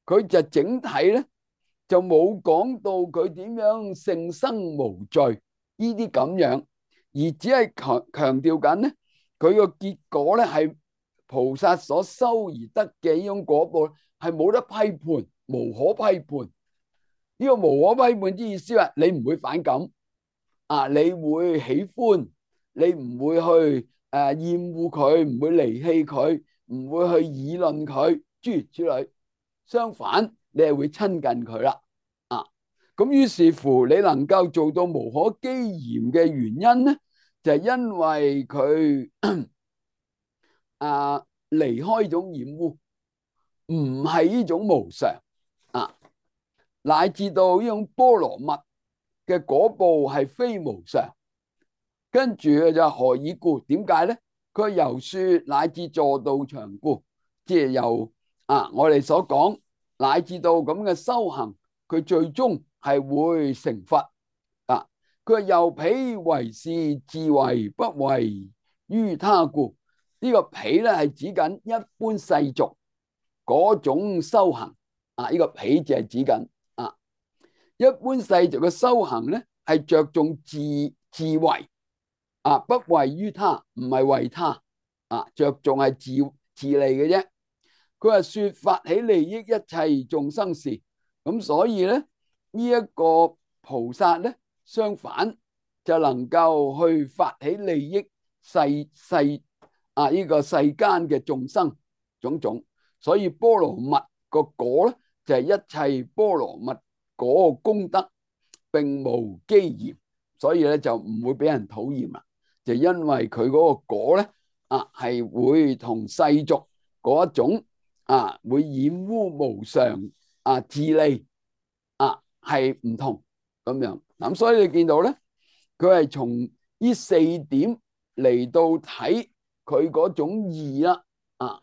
S1: 佢就整體咧就冇講到佢點樣勝生無罪呢啲咁樣，而只係強強調緊咧佢個結果咧係菩薩所修而得嘅呢種果報係冇得批判，無可批判。呢個無可批判之意思話你唔會反感啊，你會喜歡，你唔會去誒厭惡佢，唔會離棄佢，唔會去議論佢，諸如此類。相反，你係會親近佢啦啊。咁於是乎，你能夠做到無可譏嫌嘅原因咧，就係因為佢啊離開呢種染污，唔係呢種無常啊，乃至到呢種波羅蜜嘅果報係非無常。跟住佢就何以故？點解咧？佢由說乃至助道場故，即係由啊我哋所講乃至到咁嘅修行，佢最終係會成佛啊。佢話又彼為是自為不為於他故。呢、這個彼咧係指緊一般世俗嗰種修行啊，呢、這個彼就係指緊啊，一般世俗嘅修行咧係着重自自為啊，不為於他，唔係為他啊，着重係自自利嘅啫。佢話說發起利益一切眾生事，咁所以咧呢一個菩薩咧，相反就能夠去發起利益世世啊呢個世間嘅眾生種種，所以波羅蜜個果咧就係一切波羅蜜嗰個功德，並無譏嫌，所以咧就唔會俾人討厭啦。就因為佢嗰個果咧啊係會同世俗嗰一種啊會染污無常啊自利啊係唔同咁樣。咁所以你見到咧，佢係從呢四點嚟到睇佢嗰種義啦啊。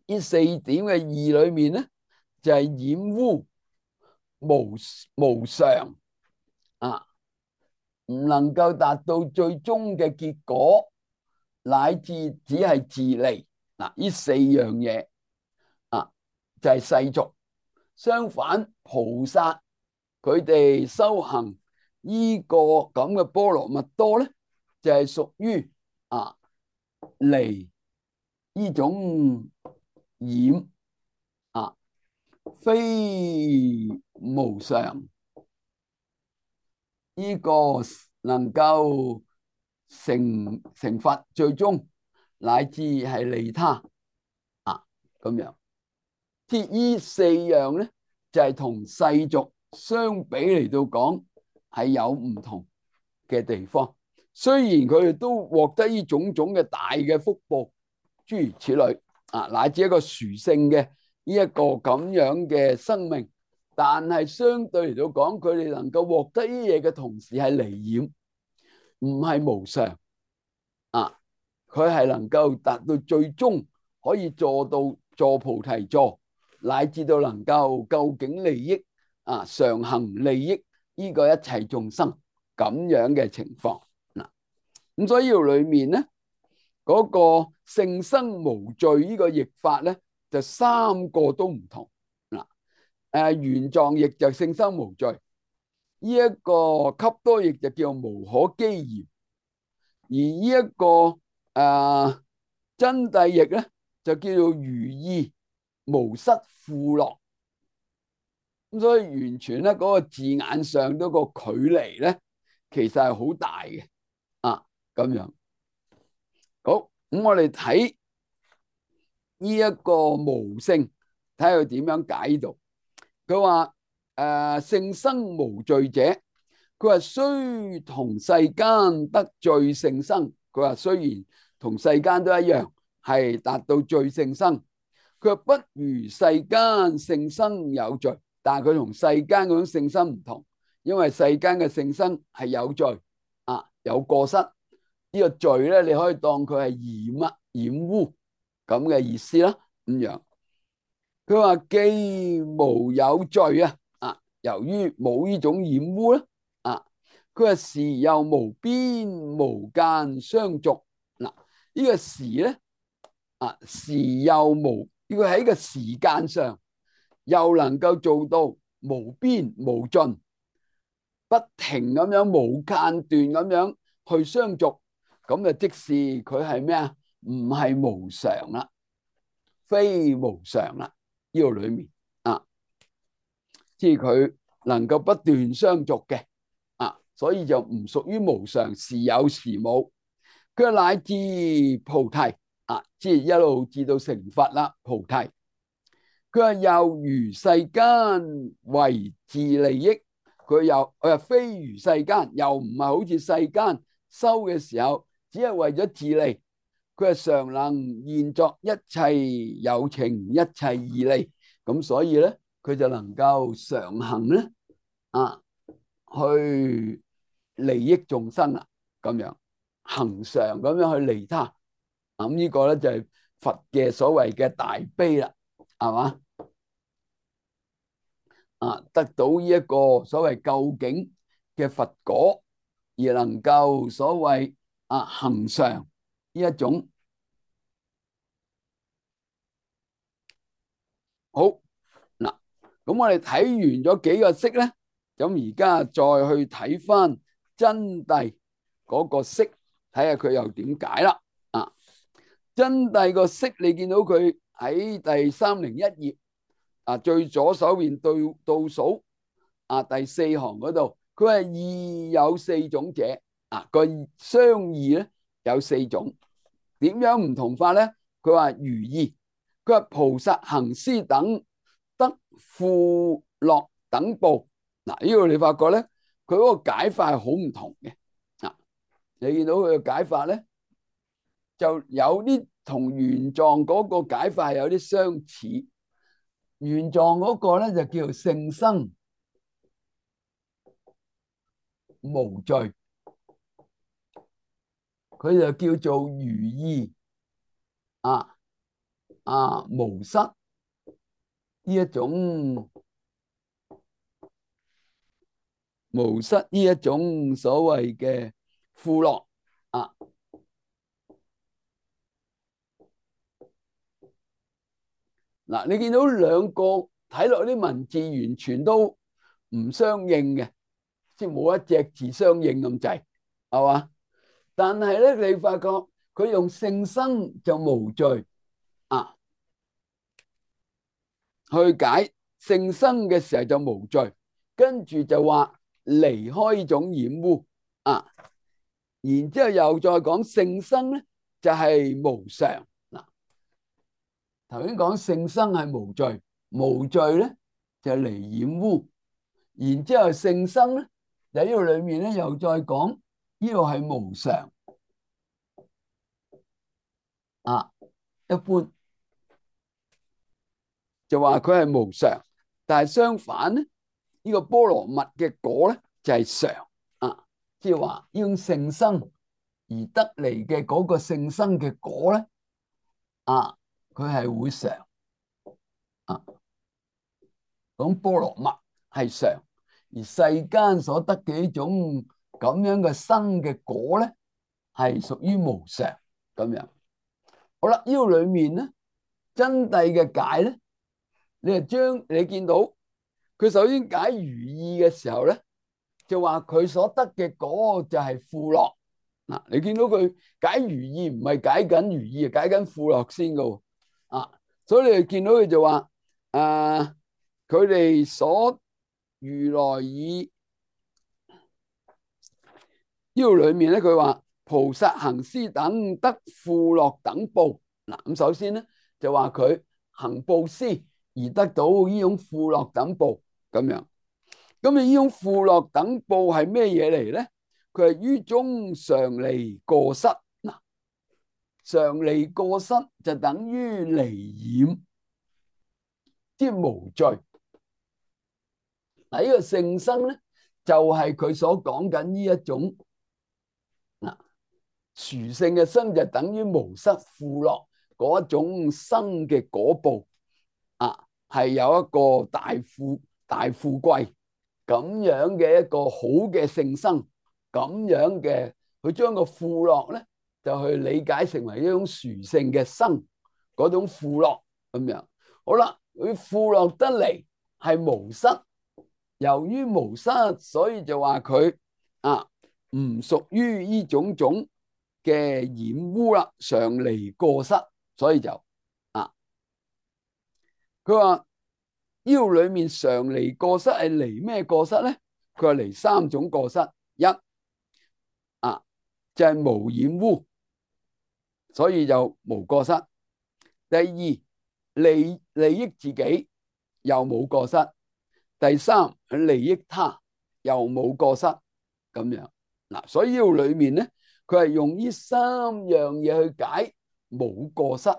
S1: 呢四點嘅義裏面咧，就係、是、染污無無常啊，唔能夠達到最終嘅結果，乃至只係自利嗱。呢四樣嘢啊，就係、是、世俗。相反，菩薩佢哋修行呢個咁嘅波羅蜜多咧，就係、是、屬於啊離呢種染啊，非無常呢個能夠成成佛，最終乃至係利他啊咁樣。即係呢四樣咧，就係、是、同世俗相比嚟到講係有唔同嘅地方。雖然佢哋都獲得呢種種嘅大嘅福報，諸如此類啊，乃至一個殊勝嘅呢一個咁樣嘅生命，但係相對嚟到講，佢哋能夠獲得呢嘢嘅同時係離染，唔係無常啊。佢係能夠達到最終可以做到坐菩提座，乃至到能夠究竟利益啊，常行利益呢個一切眾生咁樣嘅情況嗱。咁所以呢裏面咧，嗰、那個勝生無罪呢個譯法咧，就三個都唔同嗱。誒，玄奘譯就勝生無罪，呢、這、一個笈多譯就叫無可譏嫌，而呢、這、一個誒、呃、真諦譯咧就叫做如意無失富樂。咁所以完全咧嗰個字眼上嗰個距離咧，其實係好大嘅啊咁樣。好，咁我哋睇呢一個無勝，睇下佢點樣解讀。佢話誒勝生無罪者，佢話雖同世間得罪勝生，佢話雖然同世間都一樣係達到罪勝生，佢話不如世間勝生有罪，但係佢同世間嗰種勝生唔同，因為世間嘅勝生係有罪啊，有過失。呢個罪咧，你可以當佢係染啊染污咁嘅意思啦。咁樣佢話既無有罪啊，啊，由於冇呢種染污咧，啊，佢話時又無邊無間相續嗱。呢個時咧啊，時又無呢個喺個時間上又能夠做到無邊無盡，不停咁樣無間斷咁樣去相續。咁啊，即是佢係咩啊？唔係無常啦，非無常啦。呢個裏面啊，即係佢能夠不斷相續嘅啊，所以就唔屬於無常，時有時冇。佢乃至菩提啊，即係一路至到成佛啦。菩提，佢話又如世間為自利益，佢又佢又非如世間，又唔係好似世間修嘅時候，只係為咗自利，佢係常能現作一切有情，一切義利，咁所以咧，佢就能夠常行咧啊，去利益眾生啦，咁樣恆常咁樣去利他，咁呢個咧就係佛嘅所謂嘅大悲啦，係嘛啊，得到呢一個所謂究竟嘅佛果，而能夠所謂啊恆常呢一種。好嗱，咁我哋睇完咗幾個釋咧，咁而家再去睇翻真諦嗰個釋，睇下佢又點解啦。啊，真諦個釋你見到佢喺第三零一頁啊，最左手邊對倒數啊第四行嗰度，佢係義有四種者啊，個相義咧有四種，點樣唔同法咧？佢話如義，佢話菩薩行施等得富樂等報。嗱，呢個你發覺咧，佢嗰個解法係好唔同嘅。啊，你見到佢嘅解法咧，就有啲同玄奘嗰個解法係有啲相似。玄奘嗰個咧就叫做性生無罪，佢就叫做如義啊啊無失呢一種無失呢一種所謂嘅富樂啊。嗱，你見到兩個睇落啲文字完全都唔相應嘅，即係冇一隻字相應咁滯，係嘛？但係咧，你發覺佢用性生就無罪啊，去解性生嘅時候就無罪，跟住就話離開呢種染污啊，然之後又再講性生咧就係無常。嗱，頭先講性生係無罪，無罪咧就係離染污，然之後性生咧喺呢度裏面咧又再講呢度係無常啊，一般就話佢係無常，但係相反咧，呢個波羅蜜嘅果咧就係常啊，即係話呢種性生而得嚟嘅嗰個性生嘅果咧啊，佢係會常啊，講波羅蜜係常，而世間所得嘅呢種咁樣嘅生嘅果咧係屬於無常咁樣。好啦，呢度裏面咧真諦嘅解咧，你係將你見到佢首先解如意嘅時候咧，就話佢所得嘅果就係富樂。嗱，你見到佢解如意唔係解緊如意，係解緊富樂先噶。啊，所以你哋見到佢就話，誒，佢哋所如來以呢度裏面咧，佢話菩薩行施等得富樂等報。嗱，咁首先咧就話佢行布施而得到呢種富樂等報咁樣。咁你呢種富樂等報係咩嘢嚟咧？佢係於中常離過失。嗱，常離過失就等於離染，即係無罪。嗱，呢個性生咧就係佢所講緊呢一種嗱，殊勝嘅生就等於無失富樂嗰一種生嘅果報啊，係有一個大富大富貴咁樣嘅一個好嘅性生，咁樣嘅佢將個富樂咧就去理解成為一種殊勝嘅生嗰種富樂咁樣。好啦，佢富樂得嚟係無失，由於無失，所以就話佢啊唔屬於呢種種嘅染污啦，常離過失，所以就啊，佢話呢度裏面常離過失係離咩過失咧？佢話離三種過失，一啊就係、是、無染污，所以就無過失。第二，利利益自己又冇過失。第三，利益他又冇過失咁樣。嗱，所以呢度裏面咧，佢係用呢三樣嘢去解冇過失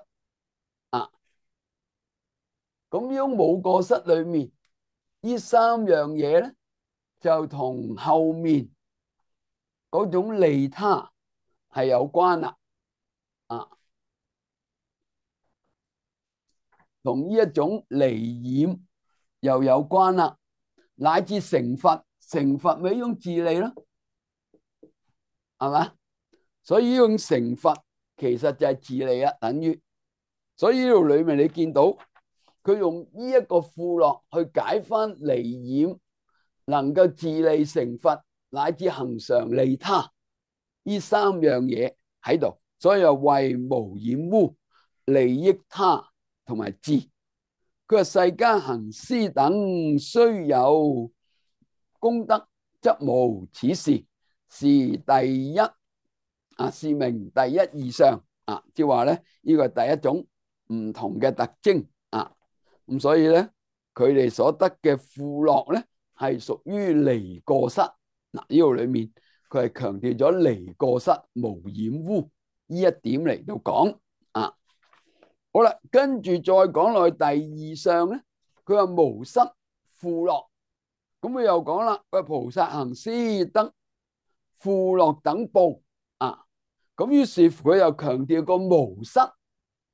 S1: 啊。咁樣冇過失裏面，呢三樣嘢咧，就同後面嗰種利他係有關啦。啊，同呢一種離染又有關啦。乃至成佛，成佛咪一種自利咯，係嘛？所以呢種成佛其實就係自利啊，等於。所以呢度裏面你見到佢用呢一個富樂去解翻離染，能夠自利成佛，乃至恒常利他，呢三樣嘢喺度，所以又為無染污、利益他同埋智。佢話世間行施等雖有功德，則無此事，是第一啊，是名第一義相啊，即係話咧，呢個係第一種唔同嘅特徵啊。咁所以咧，佢哋所得嘅富樂咧，係屬於離過失。嗱，呢度裏面佢係強調咗離過失、無染污呢一點嚟到講啊。好啦，跟住再講落去第二相咧，佢話無失富樂，咁佢又講啦，佢菩薩行施得富樂等報啊。咁於是佢又強調個無失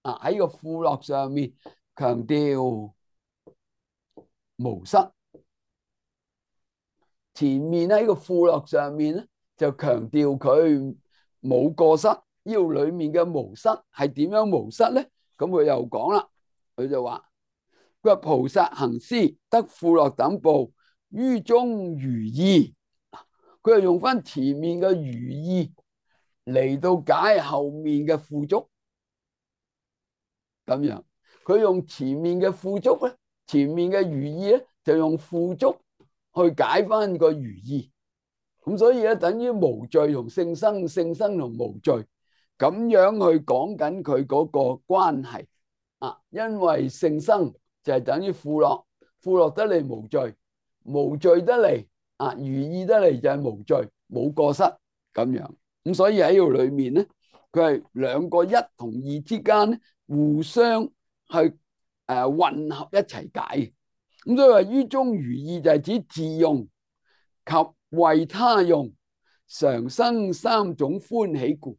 S1: 啊，喺個富樂上面強調無失。前面喺個富樂上面咧就強調佢冇過失。呢度裏面嘅無失係點樣無失咧？咁佢又講啦，佢就話佢話菩薩行施得富樂等報，於中如意。佢又用翻前面嘅如意嚟到解後面嘅富足，咁樣佢用前面嘅富足咧，前面嘅如意咧就用富足去解翻個如意，咁所以咧等於無罪同聖生，聖生同無罪咁樣去講緊佢嗰個關係啊。因為聖生就係等於富樂，富樂得嚟無罪，無罪得嚟啊如意得嚟就係無罪冇過失咁樣。咁所以喺度裏面咧，佢係兩個一同二之間咧互相去誒、呃、混合一齊解。咁所以話於中如意就係指自用及為他用，常生三種歡喜故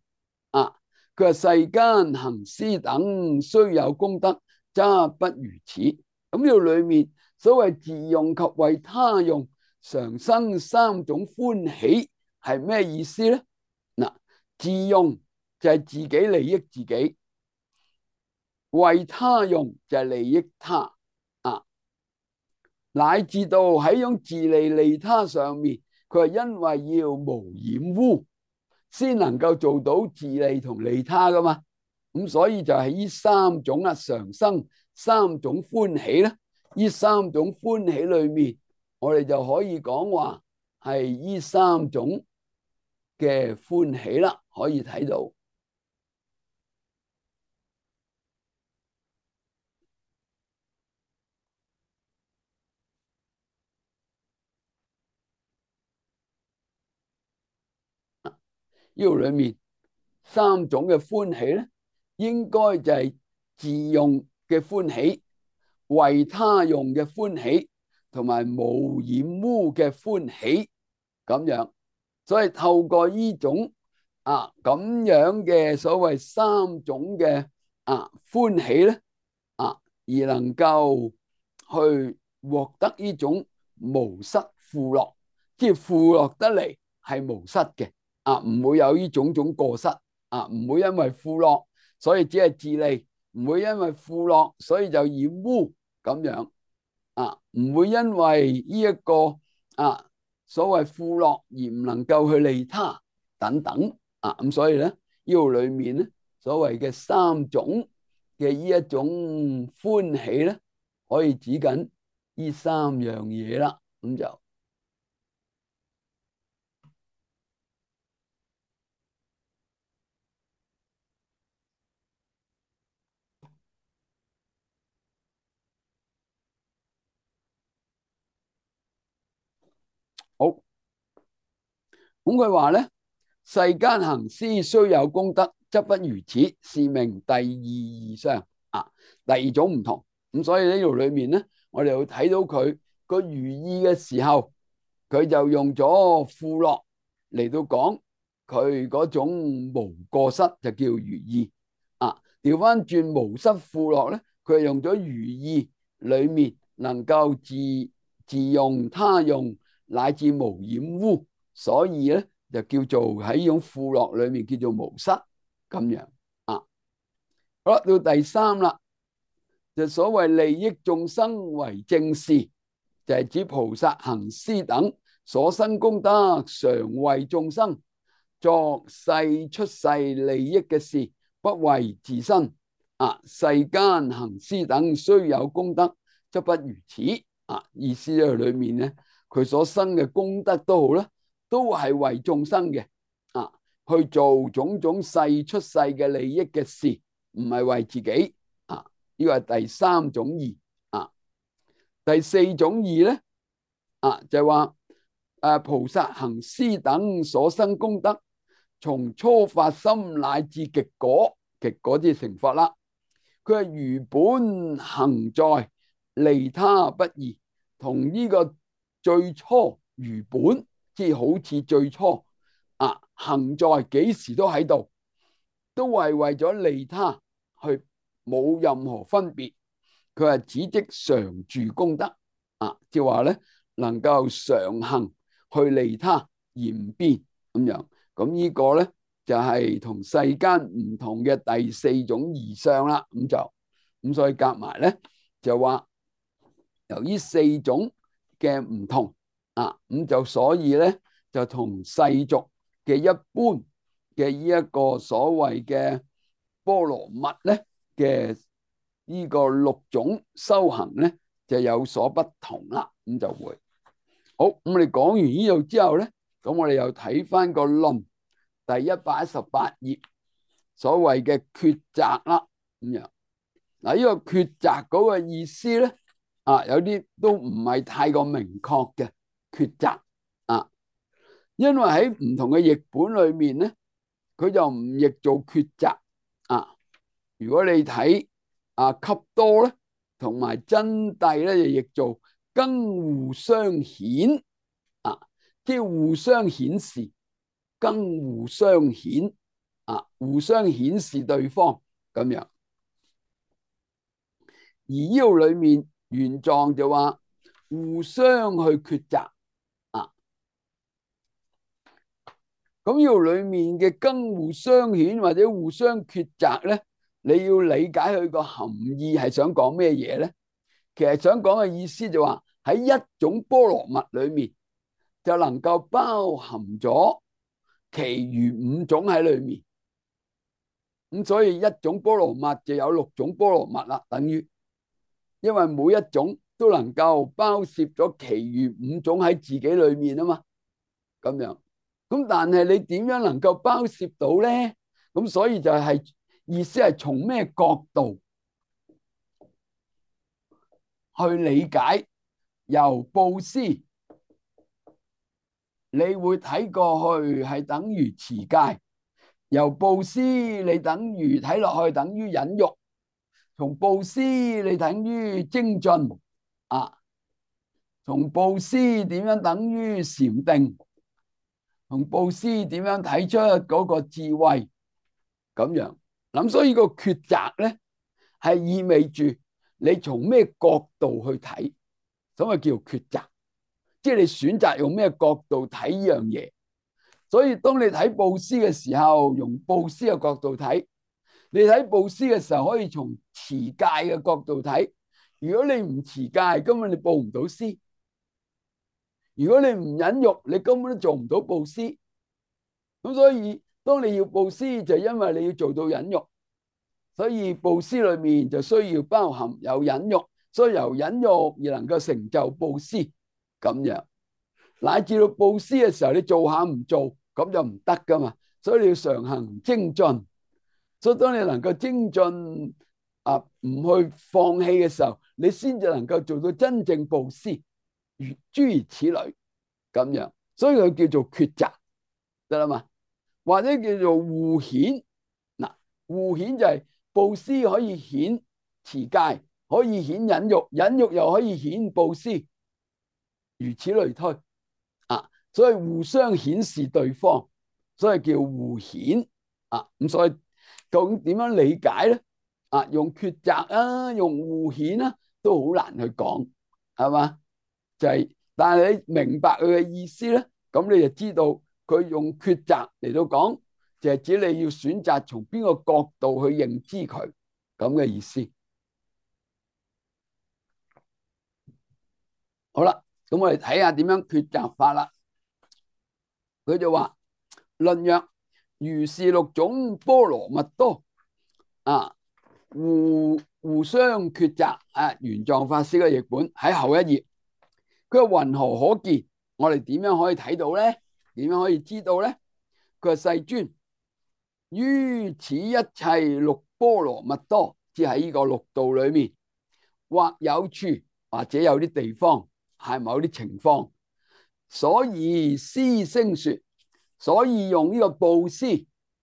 S1: 啊。佢話世間行施等雖有功德，則不如此。咁呢度裏面所謂自用及為他用，常生三種歡喜係咩意思咧？嗱，自用就係自己利益自己，為他用就係利益他啊，乃至到喺種自利利他上面，佢係因為要無染污，先能夠做到自利同利他噶嘛。咁所以就係呢三種啊，常生三種歡喜咧。呢三種歡喜裏面，我哋就可以講話係呢三種嘅歡喜啦，可以睇到。呢度裏面三種嘅歡喜咧，應該就係自用嘅歡喜、為他用嘅歡喜，同埋無染污嘅歡喜咁樣。所以透過呢種啊咁樣嘅所謂三種嘅啊歡喜咧啊，而能夠去獲得呢種無失富樂，即係富樂得嚟係無失嘅啊，唔會有呢種種過失啊，唔會因為富樂所以只係自利，唔會因為富樂所以就染污咁樣啊，唔會因為呢一個啊所謂富樂而唔能夠去利他等等啊。咁所以咧呢度裏面咧所謂嘅三種嘅呢一種歡喜咧，可以指緊呢三樣嘢啦。咁就好。咁佢話咧，世間行施雖有功德，則不如此，是名第二義相啊。第二種唔同。咁所以呢度裏面咧，我哋會睇到佢個如意嘅時候，佢就用咗富樂嚟到講佢嗰種無過失，就叫如意啊。調翻轉無失富樂咧，佢係用咗如意裏面能夠自自用他用，乃至無染污，所以咧就叫做喺呢種富樂裏面叫做無失咁樣啊。好啦，到第三啦，就所謂利益眾生為正事，就係指菩薩行施等所生功德，常為眾生作世出世利益嘅事，不為自身。啊，世間行施等雖有功德，則不如此。啊，意思喺裏面咧，佢所生嘅功德都好啦，都係為眾生嘅。啊，去做種種世出世嘅利益嘅事，唔係為自己。啊，呢個係第三種義。啊，第四種義咧，啊就係話誒菩薩行施等所生功德，從初發心乃至極果，極果即係成佛啦。佢係如本行在利他不異，同呢個最初如本，即係好似最初啊行在幾時都喺度，都係為咗利他，去冇任何分別。佢係只即常住功德啊，即係話咧能夠常行去利他而唔變咁樣。咁呢個咧就係同世間唔同嘅第四種義相啦。咁就咁所以夾埋咧就話由於四種嘅唔同啊，咁就所以咧就同世俗嘅一般嘅呢一個所謂嘅波羅蜜咧嘅呢個六種修行咧就有所不同啦。咁就會好。咁我哋講完呢度之後咧，咁我哋又睇翻個論第一百一十八頁所謂嘅抉擇啦。咁樣嗱，呢個抉擇嗰個意思咧啊，有啲都唔係太過明確嘅抉擇啊，因為喺唔同嘅譯本裏面咧，佢就唔譯做抉擇啊。如果你睇啊笈多咧，同埋真諦咧，就譯做更互相顯啊，即係互相顯示，更互相顯啊，互相顯示對方咁樣。而呢度裏面原狀就話互相去抉擇啊，咁呢度裏面嘅更互相顯或者互相抉擇咧，你要理解佢個含義係想講咩嘢咧？其實想講嘅意思就話喺一種波羅蜜裏面就能夠包含咗其餘五種喺裏面，咁所以一種波羅蜜就有六種波羅蜜啦，等於。因為每一種都能夠包攝咗其餘五種喺自己裏面啊嘛，咁樣。咁但係你點樣能夠包攝到咧？咁所以就係意思係從咩角度去理解？由布施，你會睇過去係等於持戒；由布施，你等於睇落去等於忍辱。從布施你等於精進啊，從布施點樣等於禪定，從布施點樣睇出嗰個智慧咁樣。咁所以個抉擇咧係意味住你從咩角度去睇，所以叫抉擇，即係你選擇用咩角度睇呢樣嘢。所以當你睇布施嘅時候，用布施嘅角度睇。你睇布施嘅時候，可以從持戒嘅角度睇。如果你唔持戒，根本你布唔到施；如果你唔忍辱，你根本都做唔到布施。咁所以，當你要布施，就因為你要做到忍辱，所以布施裏面就需要包含有忍辱，所以由忍辱而能夠成就布施咁樣。乃至到布施嘅時候，你做下唔做，咁就唔得噶嘛。所以你要常行精進。所以當你能夠精進啊，唔去放棄嘅時候，你先至能夠做到真正布施，如諸如此類咁樣。所以佢叫做抉擇，得啦嘛？或者叫做互顯。嗱，互顯就係布施可以顯持戒，可以顯忍辱，忍辱又可以顯布施，如此類推啊。所以互相顯示對方，所以叫互顯啊。咁所以究竟點樣理解咧？啊，用抉擇啊，用互顯啊，都好難去講，係嘛？就係、是，但係你明白佢嘅意思咧，咁你就知道佢用抉擇嚟到講，就係指你要選擇從邊個角度去認知佢咁嘅意思。好啦，咁我哋睇下點樣抉擇法啦。佢就話：論曰，如是六種波羅蜜多啊，互互相抉擇啊。玄奘法師嘅譯本喺後一頁，佢話云何可見？我哋點樣可以睇到咧？點樣可以知道咧？佢話世尊，於此一切六波羅蜜多，即喺呢個六道裏面，或有處，或者有啲地方係某啲情況，所以施聲說，所以用呢個布施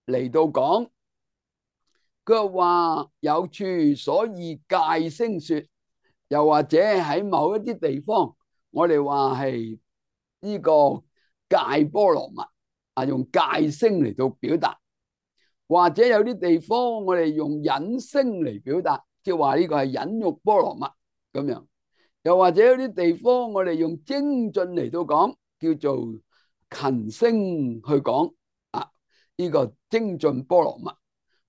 S1: 嚟到講。佢話有處，所以戒聲說，又或者喺某一啲地方，我哋話係呢個戒波羅蜜啊，用戒聲嚟到表達。或者有啲地方我哋用忍聲嚟表達，即係話呢個係忍辱波羅蜜咁樣。又或者有啲地方我哋用精進嚟到講，叫做勤聲去講啊，呢個精進波羅蜜。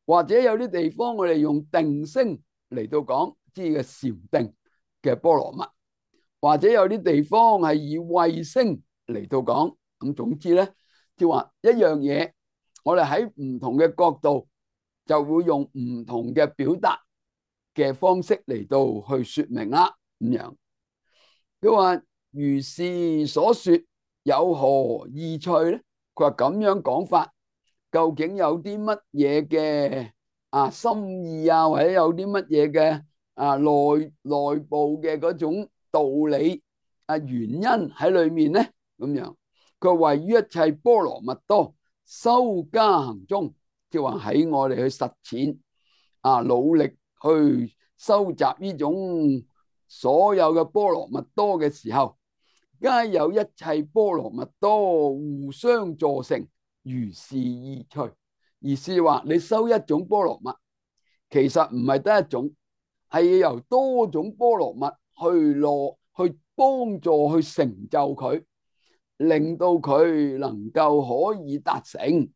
S1: 或者有啲地方我哋用定聲嚟到講，即係禪定嘅波羅蜜。或者有啲地方係以慧聲嚟到講。咁總之咧，即係話一樣嘢，我哋喺唔同嘅角度就會用唔同嘅表達嘅方式嚟到去說明啦。咁樣佢話如是所說，有何意趣咧？佢話咁樣講法，究竟有啲乜嘢嘅啊心意啊，或者有啲乜嘢嘅啊內內部嘅嗰種道理啊原因喺裏面咧？咁樣佢話位於一切波羅蜜多修加行中，即係話喺我哋去實踐啊，努力去收集呢種所有嘅波羅蜜多嘅時候，皆有一切波羅蜜多互相助成，如是意趣。意思話你修一種波羅蜜，其實唔係得一種，係要由多種波羅蜜去落去幫助去成就佢，令到佢能夠可以達成。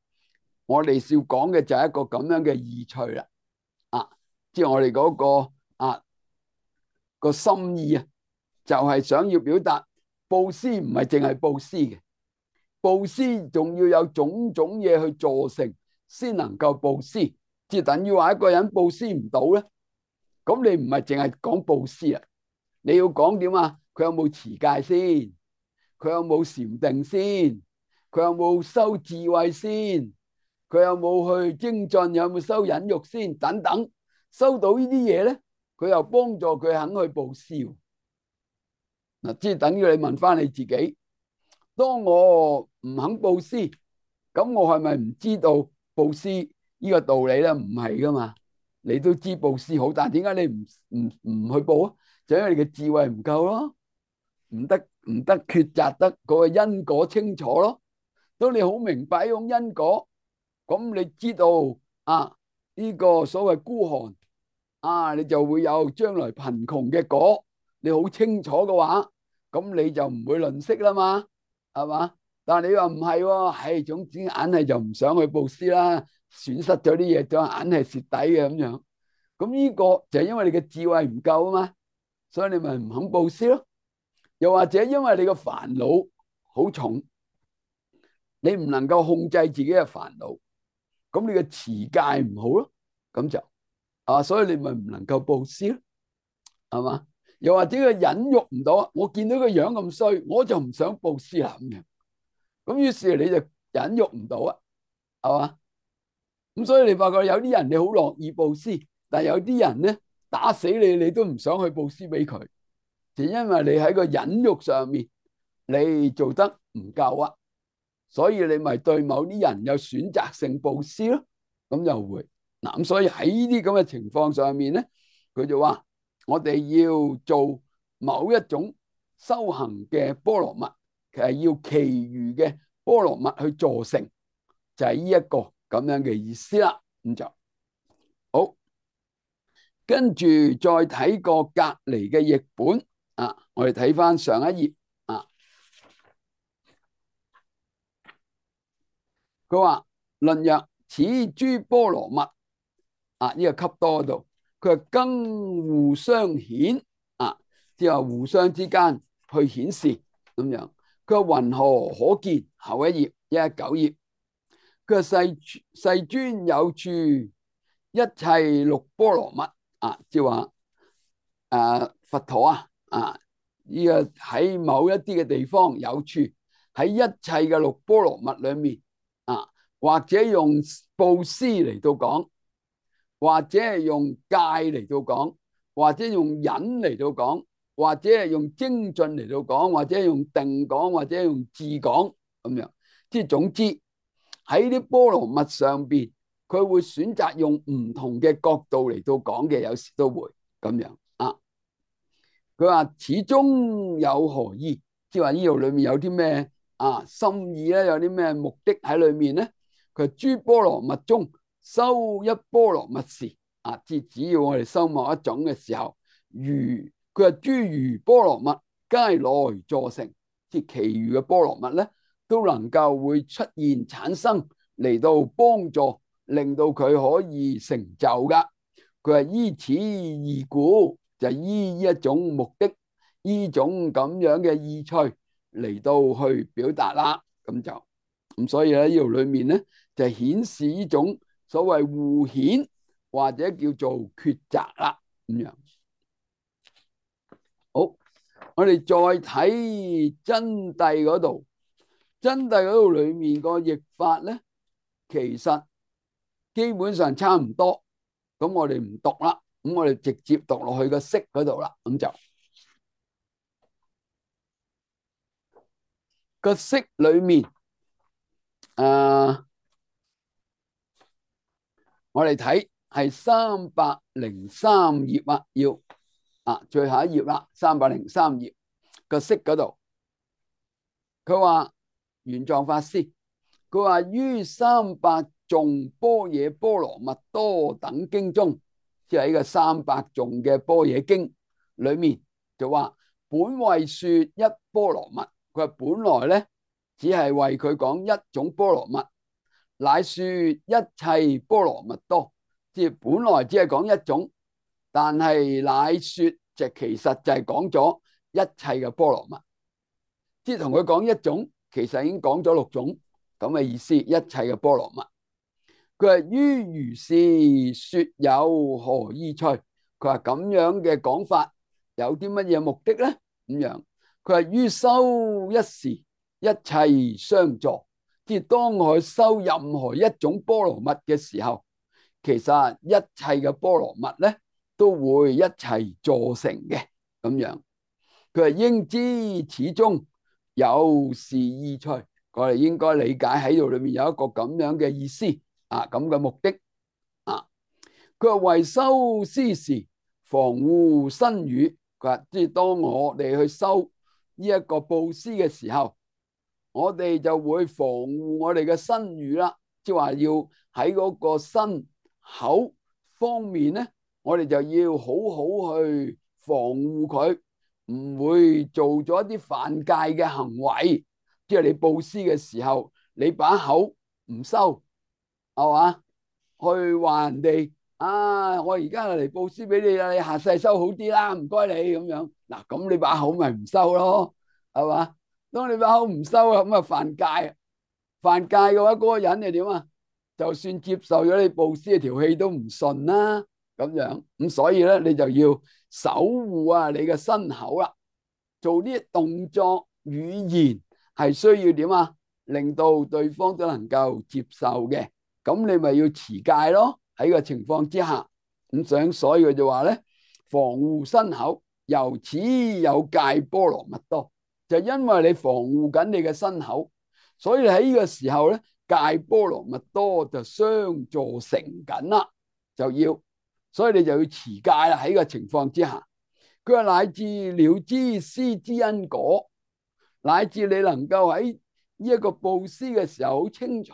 S1: 我哋要講嘅就係一個咁樣嘅意趣啦。啊，即係我哋嗰個啊個心意啊，就係想要表達布施唔係淨係布施嘅，布施仲要有種種嘢去助成，先能夠布施。即係等於話一個人布施唔到咧，咁你唔係淨係講布施啊，你要講點啊？佢有冇持戒先？佢有冇禪定先？佢有冇修智慧先？佢有冇去精進？有冇修忍辱先？等等，收到呢啲嘢咧，佢又幫助佢肯去布施。嗱，即係等於你問翻你自己，當我唔肯布施，咁我係咪唔知道布施呢個道理咧？唔係噶嘛，你都知布施好，但係點解你唔唔唔去布啊？就因為你嘅智慧唔夠咯，唔得唔得抉擇得嗰個因果清楚咯。當你好明白呢種因果，咁你知道啊呢個所謂孤寒啊，你就會有將來貧窮嘅果。你好清楚嘅話，咁你就唔會吝嗇啦嘛，係嘛？但係你話唔係喎，係總之硬係就唔想去布施啦，損失咗啲嘢，就硬係蝕底嘅咁樣。咁呢個就係因為你嘅智慧唔夠啊嘛，所以你咪唔肯布施咯。又或者因為你個煩惱好重，你唔能夠控制自己嘅煩惱，咁你嘅持戒唔好咯，咁就啊，所以你咪唔能夠布施咯，係嘛？又或者佢忍辱唔到，我見到個樣咁衰，我就唔想布施啦咁樣。咁於是你就忍辱唔到啊，係嘛？咁所以你發覺有啲人你好樂意布施，但係有啲人咧打死你，你都唔想去布施俾佢，就因為你喺個忍辱上面你做得唔夠啊，所以你咪對某啲人有選擇性布施咯。咁就會嗱，咁所以喺呢啲咁嘅情況上面咧，佢就話我哋要做某一種修行嘅波羅蜜，其實要其餘嘅波羅蜜去助成，就係呢一個咁樣嘅意思啦。咁就好，跟住再睇個隔籬嘅譯本啊，我哋睇翻上一頁佢話論曰：此諸波羅蜜啊，呢、這個笈多嗰度，佢係更互相顯啊，即係話互相之間去顯示咁樣。佢話云何可見？後一頁一一九頁，佢話世世尊有處一切六波羅蜜啊，即係話誒佛陀啊啊呢、這個喺某一啲嘅地方有處喺一切嘅六波羅蜜裏面啊，或者用布施嚟到講，或者係用戒嚟到講，或者用忍嚟到講，或者係用精進嚟到講，或者用定講，或者用智講咁樣。即係總之喺啲波羅蜜上邊，佢會選擇用唔同嘅角度嚟到講嘅，有時都會咁樣啊。佢話始終有何意？即係話呢度裏面有啲咩啊心意咧？有啲咩目的喺裏面咧？佢諸波羅蜜中修一波羅蜜時啊，即係只要我哋修某一種嘅時候，如佢話諸餘波羅蜜皆來助成，即係其餘嘅波羅蜜咧都能夠會出現產生嚟到幫助，令到佢可以成就噶。佢話依此義故，就依呢一種目的，呢種咁樣嘅意趣嚟到去表達啦。咁就咁，所以咧呢度裏面咧就顯示呢種所謂互顯或者叫做抉擇啦。咁樣好，我哋再睇真諦嗰度，真諦嗰度裏面個譯法咧，其實基本上差唔多。咁我哋唔讀啦，咁我哋直接讀落去個釋嗰度啦。咁就個釋裏面，誒、呃，我哋睇係三百零三頁啊，要啊最後一頁啦，三百零三頁個釋嗰度，佢話玄奘法師，佢話於三百頌般若波羅蜜多等經中，即係喺個三百頌嘅般若經裏面就話本為說一波羅蜜，佢話本來咧只係為佢講一種波羅蜜，乃說一切波羅蜜多，即係本來只係講一種，但係乃說就其實就係講咗一切嘅波羅蜜，即係同佢講一種，其實已經講咗六種咁嘅意思，一切嘅波羅蜜。佢話於如是說有何意趣？佢話咁樣嘅講法有啲乜嘢目的咧？咁樣佢話於修一時一切相助，即係當我修任何一種波羅蜜嘅時候，其實一切嘅波羅蜜咧都會一齊助成嘅咁樣。佢話應知此中有是意趣，我哋應該理解喺度裏面有一個咁樣嘅意思。啊，咁嘅目的啊，佢話為修施時防護身語，佢話即係當我哋去修呢一個布施嘅時候，我哋就會防護我哋嘅身語啦，即係話要喺嗰個身口方面咧，我哋就要好好去防護佢，唔會做咗一啲犯戒嘅行為。即係你布施嘅時候，你把口唔收。係嘛？去話人哋啊！我而家嚟布施俾你啦，你下世收好啲啦，唔該你咁樣。嗱，咁你把口咪唔收咯，係嘛？當你把口唔收啊，咁啊犯戒。犯戒嘅話，嗰個人係點啊？就算接受咗你布施，條氣都唔順啦。咁樣咁，所以咧，你就要守護啊你嘅身口啦。做呢啲動作語言係需要點啊？令到對方都能夠接受嘅。咁你咪要持戒咯，喺個情況之下咁想，所以佢就話咧，防護身口，由此有戒波羅蜜多，就因為你防護緊你嘅身口，所以喺呢個時候咧，戒波羅蜜多就相助成緊啦，就要，所以你就要持戒啦。喺個情況之下，佢話乃至了知施之因果，乃至你能夠喺呢一個布施嘅時候好清楚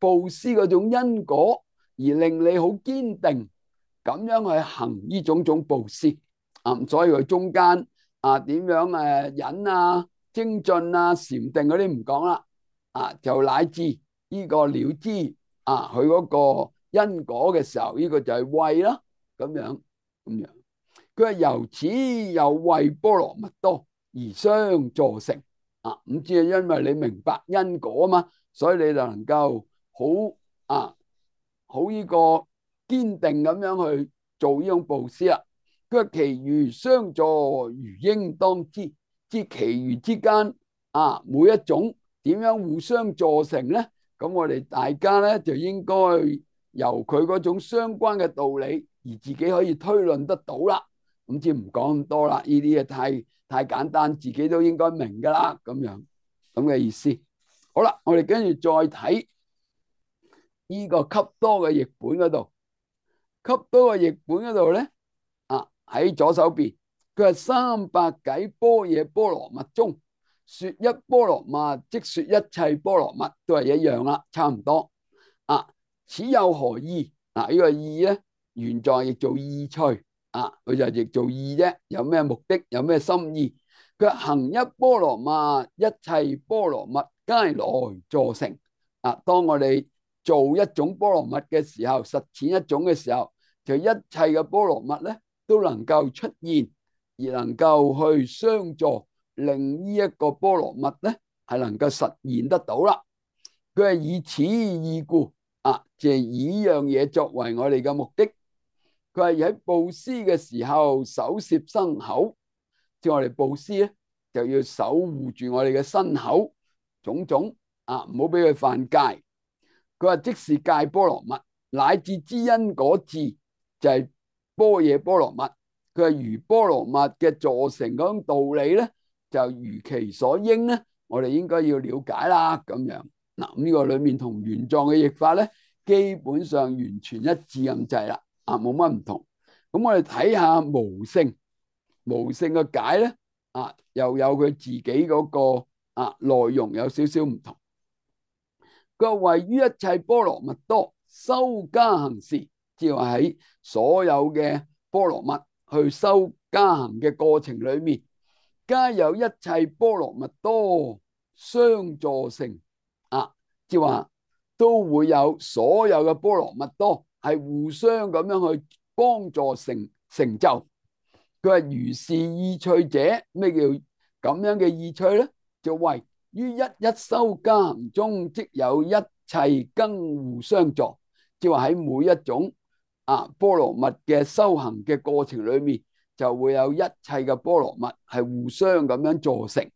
S1: 布施嗰種因果，而令你好堅定咁樣去行呢種種布施啊。所以佢中間啊點樣誒忍啊、精進啊、禪定嗰啲唔講啦，啊就乃至呢個了知啊佢嗰個因果嘅時候，呢個就係慧啦，咁樣咁樣。佢係由此有慧波羅蜜多而相助成啊，咁即係因為你明白因果啊嘛，所以你就能夠好啊好呢個堅定咁樣去做呢種布施啦。佢話其餘相助如應當知，即係其餘之間啊每一種點樣互相助成咧？咁我哋大家咧就應該由佢嗰種相關嘅道理而自己可以推論得到啦。咁即係唔講咁多啦，呢啲嘢太太簡單，自己都應該明噶啦，咁樣咁嘅意思。好啦，我哋跟住再睇呢個笈多嘅譯本嗰度，笈多嘅譯本嗰度咧，啊喺左手邊，佢係三百偈般若波羅蜜中，說一波羅蜜，即說一切波羅蜜，都係一樣啦，差唔多。啊，此有何意？啊，呢個意咧，原在亦做意趣。啊，佢就譯做意啫，有咩目的，有咩心意？佢行一波羅蜜，一切波羅蜜皆來助成。啊，當我哋做一種波羅蜜嘅時候，實踐一種嘅時候，就一切嘅波羅蜜咧都能夠出現，而能夠去相助，令呢一個波羅蜜咧係能夠實現得到啦。佢係以此意故，啊，就係以樣嘢作為我哋嘅目的。佢係喺布施嘅時候，守攝身口，即係我哋布施咧，就要守護住我哋嘅身口種種啊，唔好俾佢犯戒。佢話即是戒波羅蜜，乃至知因果智，就係般若波羅蜜。佢係如波羅蜜嘅助成嗰種道理咧，就如其所應咧，我哋應該要了解啦。咁樣嗱，咁呢個裏面同原狀嘅譯法咧，基本上完全一致咁滯啦。啊，冇乜唔同。咁我哋睇下無性，無性嘅解咧，啊，又有佢自己嗰個啊內容有少少唔同。佢話位於一切波羅蜜多修加行時，即係話喺所有嘅波羅蜜去修加行嘅過程裏面，皆有一切波羅蜜多相助成。啊，即係話都會有所有嘅波羅蜜多係互相咁樣去幫助成成就。佢話如是意趣者，咩叫咁樣嘅意趣咧？就為於一一修加行中，即有一切更互相助。即係話喺每一種啊波羅蜜嘅修行嘅過程裏面，就會有一切嘅波羅蜜係互相咁樣助成。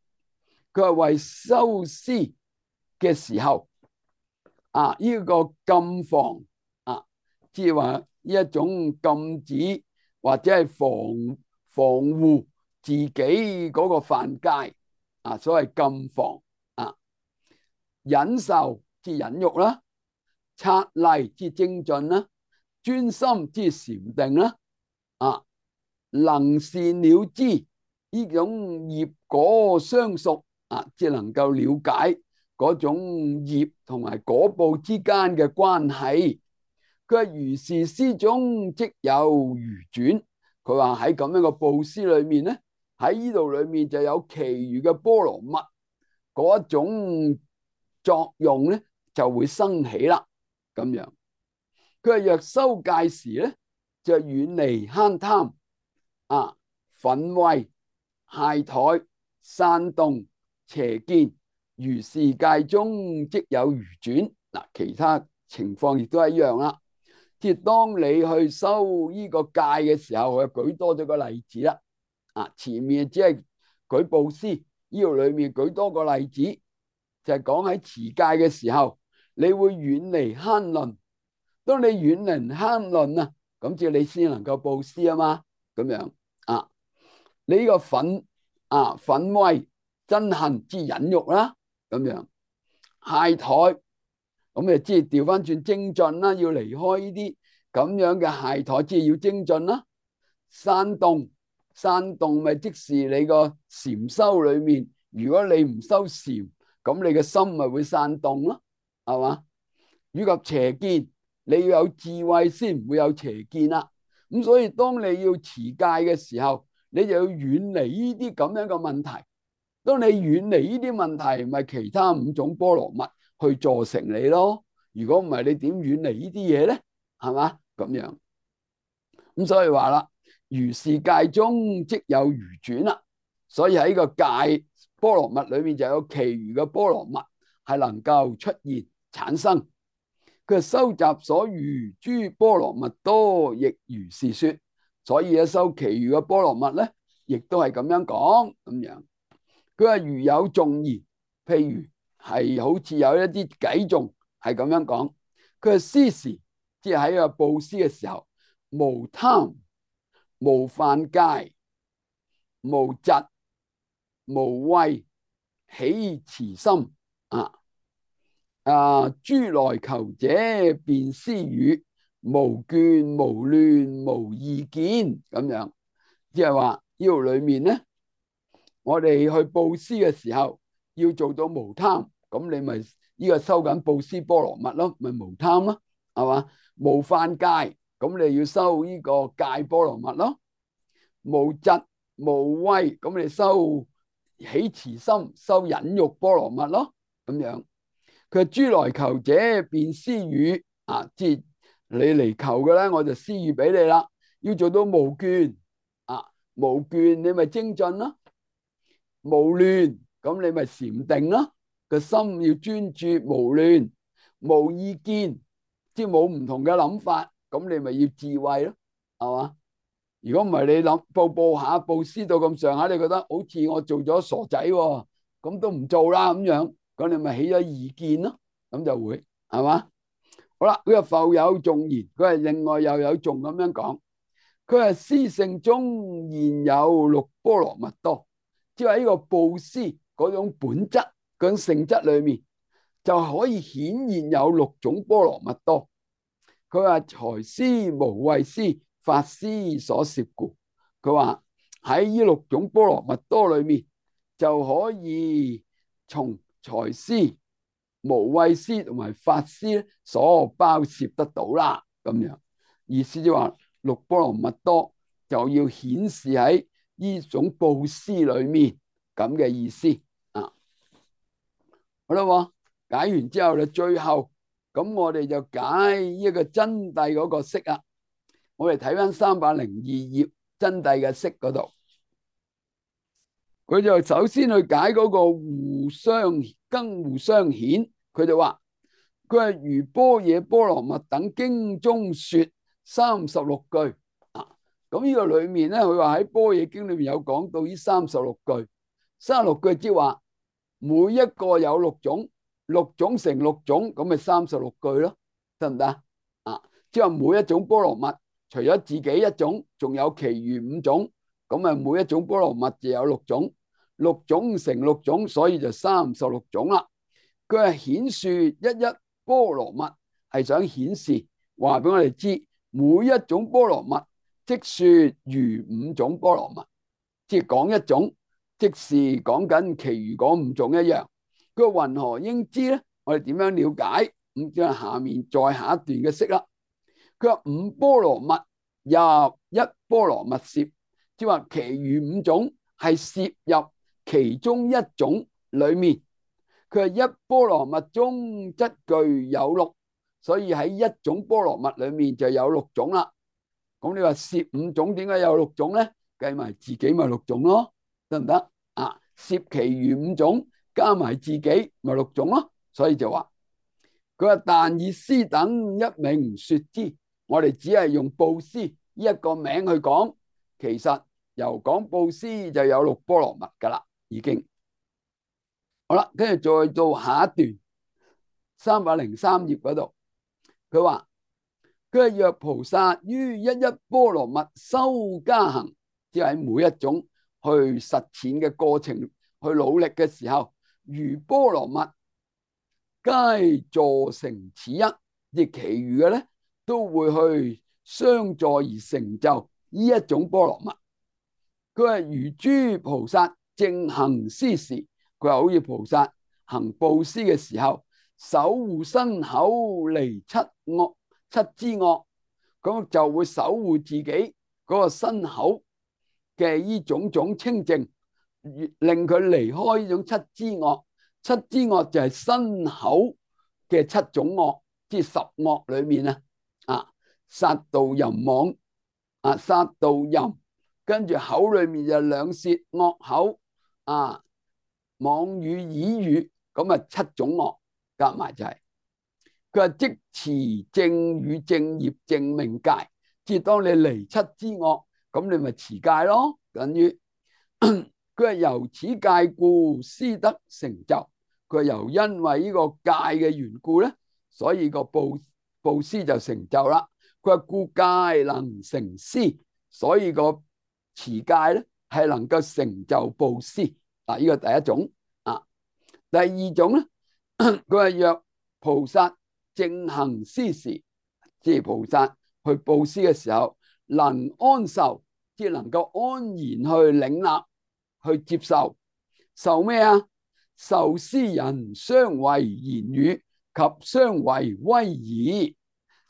S1: 佢話為修施嘅時候，啊呢個禁防啊，即係話呢一種禁止或者係防防護自己嗰個犯戒啊，所謂禁防啊，忍受即係忍辱啦，察例即係精進啦，專心即係禪定啦，啊能善了知呢種業果相屬啊，即係能夠了解嗰種業同埋果報之間嘅關係。佢話如是施中即有餘轉。佢話喺咁樣嘅布施裏面咧，喺呢度裏面就有其餘嘅波羅蜜嗰一種作用咧，就會生起啦。咁樣佢話若修戒時咧，就遠離慳貪啊、忿恚、懈怠、散動、邪見，如是戒中即有餘轉。嗱，其他情況亦都係一樣啦。即係當你去修呢個戒嘅時候，我舉多咗個例子啦。啊，前面只係舉布施，呢度裏面舉多個例子，就係講喺持戒嘅時候，你會遠離慳吝。當你遠離慳吝啊，咁即係你先能夠布施啊嘛。咁樣啊，你呢個忿啊忿恚、憎恨之忍辱啦，咁樣懈怠。咁誒，即係調翻轉精進啦，要離開呢啲咁樣嘅懈怠，即係要精進啦。散動，散動咪即是你個禪修裏面，如果你唔修禪，咁你嘅心咪會散動咯，係嘛？以及邪見，你要有智慧先唔會有邪見啦。咁所以當你要持戒嘅時候，你就要遠離呢啲咁樣嘅問題。當你遠離呢啲問題，咪其他五種波羅蜜去助成你咯。如果唔係，你點遠離呢啲嘢咧？係嘛？咁樣咁，所以話啦，如是界中即有餘轉啦。所以喺個界波羅蜜裏面就有其餘嘅波羅蜜係能夠出現產生。佢收集所餘諸波羅蜜多，亦如是說。所以咧，收其餘嘅波羅蜜咧，亦都係咁樣講咁樣。佢話如有頌言，譬如係好似有一啲偈頌係咁樣講。佢話施時，即係喺個布施嘅時候，無貪、無犯戒、無嫉、無畏，起慈心啊！啊！諸來求者便施予，無眷無亂無意見咁樣，即係話呢度裏面咧，我哋去布施嘅時候要做到無貪，咁你咪呢個收緊布施波羅蜜咯，咪無貪咯，係嘛？無犯戒，咁你要收呢個戒波羅蜜咯。無嫉無畏，咁你收起慈心，收忍辱波羅蜜咯，咁樣。佢諸來求者便施予啊，即係你嚟求嘅咧，我就施予俾你啦。要做到無倦啊，無倦你咪精進咯，無亂咁你咪禪定咯，個心要專注無亂，無意見，即係冇唔同嘅諗法，咁你咪要智慧咯，係嘛？如果唔係你諗步步下布施到咁上下，你覺得好似我做咗傻仔喎，咁都唔做啦咁樣。咁你咪起咗意見咯，咁就會係嘛？好啦，佢話復有頌言，佢係另外又有頌咁樣講。佢係施性中現有六波羅蜜多，即係呢個布施嗰種本質、嗰種性質裏面，就可以顯現有六種波羅蜜多。佢話財施、無畏施、法施所攝故。佢話喺呢六種波羅蜜多裏面，就可以從財施、無畏施同埋法施所包攝得到啦，咁樣意思就話六波羅蜜多就要顯示喺呢種布施裏面咁嘅意思啊。好啦，解完之後咧，最後咁我哋就解一個真諦嗰個釋啊。我哋睇翻三百零二頁真諦嘅釋嗰度。佢就首先去解嗰個互相更互相顯，佢就話佢係如般若波羅蜜等經中說三十六句啊。咁呢個裏面咧，佢話喺般若經裏面有講到呢三十六句，三十六句即係話每一個有六種，六種乘六種，咁咪三十六句咯，得唔得啊？即係話每一種波羅蜜，除咗自己一種，仲有其餘五種。咁啊，每一種波羅蜜就有六種，六種乘六種，所以就三十六種啦。佢係顯說一一波羅蜜，係想顯示話俾我哋知，每一種波羅蜜即說如五種波羅蜜，即係講一種，即是講緊其餘嗰五種一樣。佢話云何應知咧？我哋點樣了解？咁即係下面再下一段嘅釋啦。佢話五波羅蜜入一波羅蜜攝。即係話，其餘五種係攝入其中一種裏面。佢係一波羅蜜中則具有六，所以喺一種波羅蜜裏面就有六種啦。咁你話攝五種點解有六種咧？計埋自己咪六種咯，得唔得啊？攝其餘五種加埋自己咪六種咯。所以就話佢話，但以施等一名說之，我哋只係用布施呢一個名去講。其實由講布施就有六波羅蜜噶啦，已經好啦。跟住再到下一段三百零三頁嗰度，佢話佢係若菩薩於一一波羅蜜修加行，即係每一種去實踐嘅過程，去努力嘅時候，如波羅蜜皆助成此一，亦其餘嘅咧都會去相助而成就呢一種波羅蜜。佢係如諸菩薩正行施時，佢話好似菩薩行布施嘅時候，守護身口離七惡七支惡，咁就會守護自己嗰個身口嘅呢種種清淨，令佢離開呢種七支惡。七支惡就係身口嘅七種惡，即係十惡裏面啊，啊殺盜淫妄啊，殺盜淫，跟住口裏面就兩舌惡口啊，妄語綺語，咁啊七種惡夾埋就係、是。佢話即持正語正業正命戒，即係當你離七之惡，咁你咪持戒咯，等於佢話由此戒故，施得成就。佢又因為呢個戒嘅緣故咧，所以個布布施就成就啦。佢話故戒能成施，所以個持戒咧係能夠成就布施。嗱，呢個第一種啊。第二種咧，佢話若菩薩正行施時，即係菩薩去布施嘅時候，能安受，即係能夠安然去領納、去接受。受咩啊？受施人相違言語及相違威儀，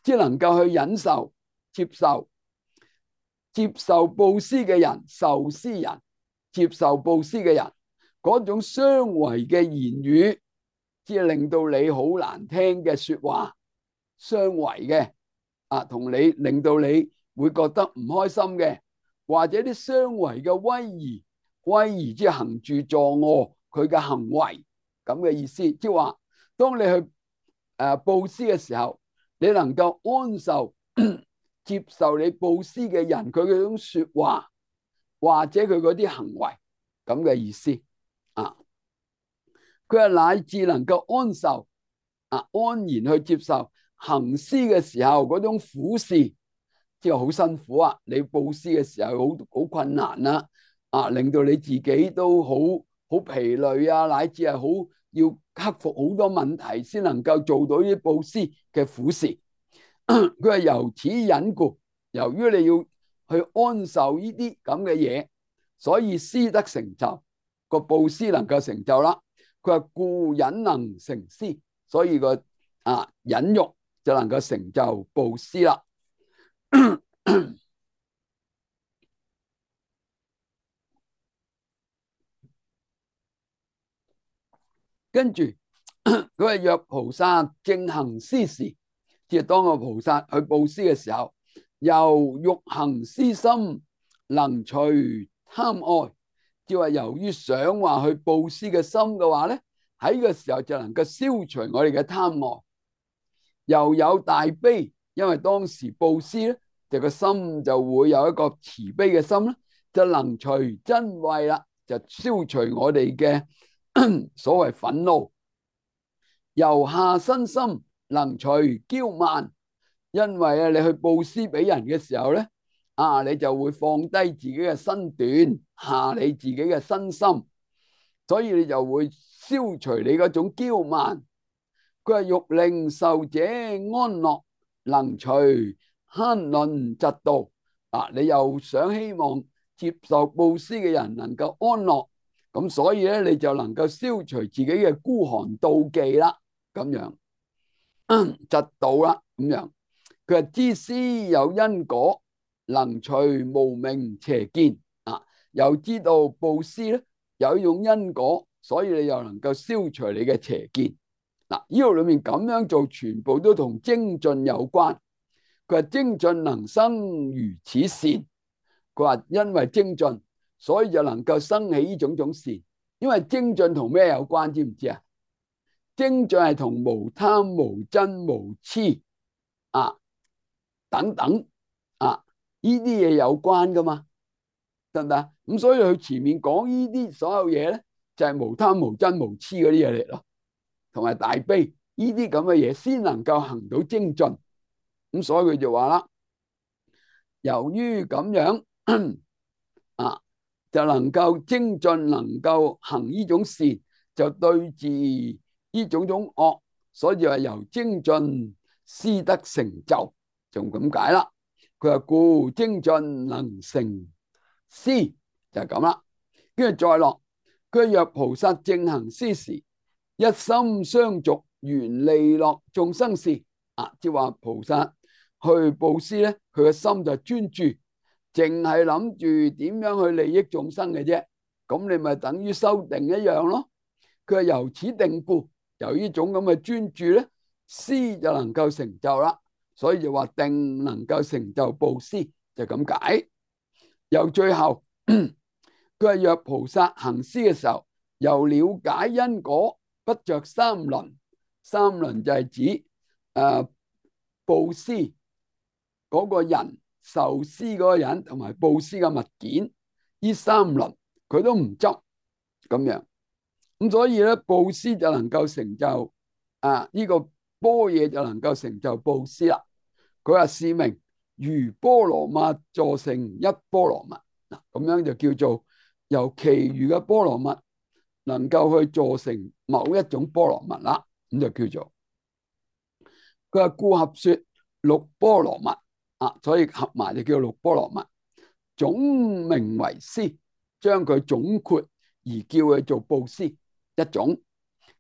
S1: 即係能夠去忍受、接受。接受布施嘅人，受施人接受布施嘅人嗰種相違嘅言語，即係令到你好難聽嘅說話，相違嘅啊，同你令到你會覺得唔開心嘅，或者啲相違嘅威儀，威儀即係行住坐臥佢嘅行為咁嘅意思，即係話當你去誒布施嘅時候，你能夠安受接受你布施嘅人佢嗰種說話或者佢嗰啲行為咁嘅意思啊。佢係乃至能夠安受啊，安然去接受行施嘅時候嗰種苦事，即係好辛苦啊！你布施嘅時候好好困難啦，啊，令到你自己都好好疲累啊，乃至係好要克服好多問題先能夠做到呢啲布施嘅苦事。佢係由此忍故，由於你要去安受呢啲咁嘅嘢，所以施得成就，個布施能夠成就啦。佢話故忍能成施，所以個啊忍辱就能夠成就布施啦。跟住佢話若菩薩正行施時，即係當個菩薩去布施嘅時候，由欲行施心能除貪愛，即係話由於想話去布施嘅心嘅話咧，喺呢個時候就能夠消除我哋嘅貪愛。又有大悲，因為當時布施咧，就個心就會有一個慈悲嘅心咧，就能除瞋恚啦，就消除我哋嘅所謂憤怒。由下身心能除驕慢，因為啊，你去布施俾人嘅時候咧，啊，你就會放低自己嘅身段，下你自己嘅身心，所以你就會消除你嗰種驕慢。佢話欲令受者安樂，能除慳吝嫉妒。啊，你又想希望接受布施嘅人能夠安樂，咁所以咧，你就能夠消除自己嘅孤寒妒忌啦，咁樣嫉妒啦，咁樣。佢話知施有因果，能除無明邪見。啊，又知道布施咧有一種因果，所以你又能夠消除你嘅邪見。嗱，呢度裏面咁樣做，全部都同精進有關。佢話精進能生如此善，佢話因為精進，所以就能夠生起呢種種善。因為精進同咩有關？知唔知啊？精進係同無貪、無瞋、無痴啊等等啊呢啲嘢有關噶嘛，得唔得？咁所以佢前面講呢啲所有嘢咧，就係無貪、無瞋、無痴嗰啲嘢嚟咯。同埋大悲呢啲咁嘅嘢，先能夠行到精進。咁所以佢就話啦，由於咁樣啊，就能夠精進，能夠行呢種善，就對治呢種種惡，所以就係由精進施得成就，就咁解啦。佢話故精進能成施，就係咁啦。跟住再落，佢若菩薩正行施時，一心相續，緣利樂眾生事。啊，即係話菩薩去布施咧，佢個心就專注，淨係諗住點樣去利益眾生嘅啫。咁你咪等於修定一樣咯。佢係由此定故，由呢種咁嘅專注咧，施就能夠成就啦，所以就話定能夠成就布施，就咁解。又最後佢係若菩薩行施嘅時候，由了解因果，不着三輪。三輪就係指誒、呃、布施嗰個人、受施嗰個人同埋布施嘅物件，呢三輪佢都唔執咁樣。咁所以咧，布施就能夠成就啊呢、這個般若就能夠成就布施啦。佢話是名如波羅蜜助成一波羅蜜，嗱咁樣就叫做由其餘嘅波羅蜜能夠去助成某一種波羅蜜啦，咁就叫做佢話故合說六波羅蜜啊，所以合埋就叫六波羅蜜，總名為施，將佢總括而叫佢做布施一種。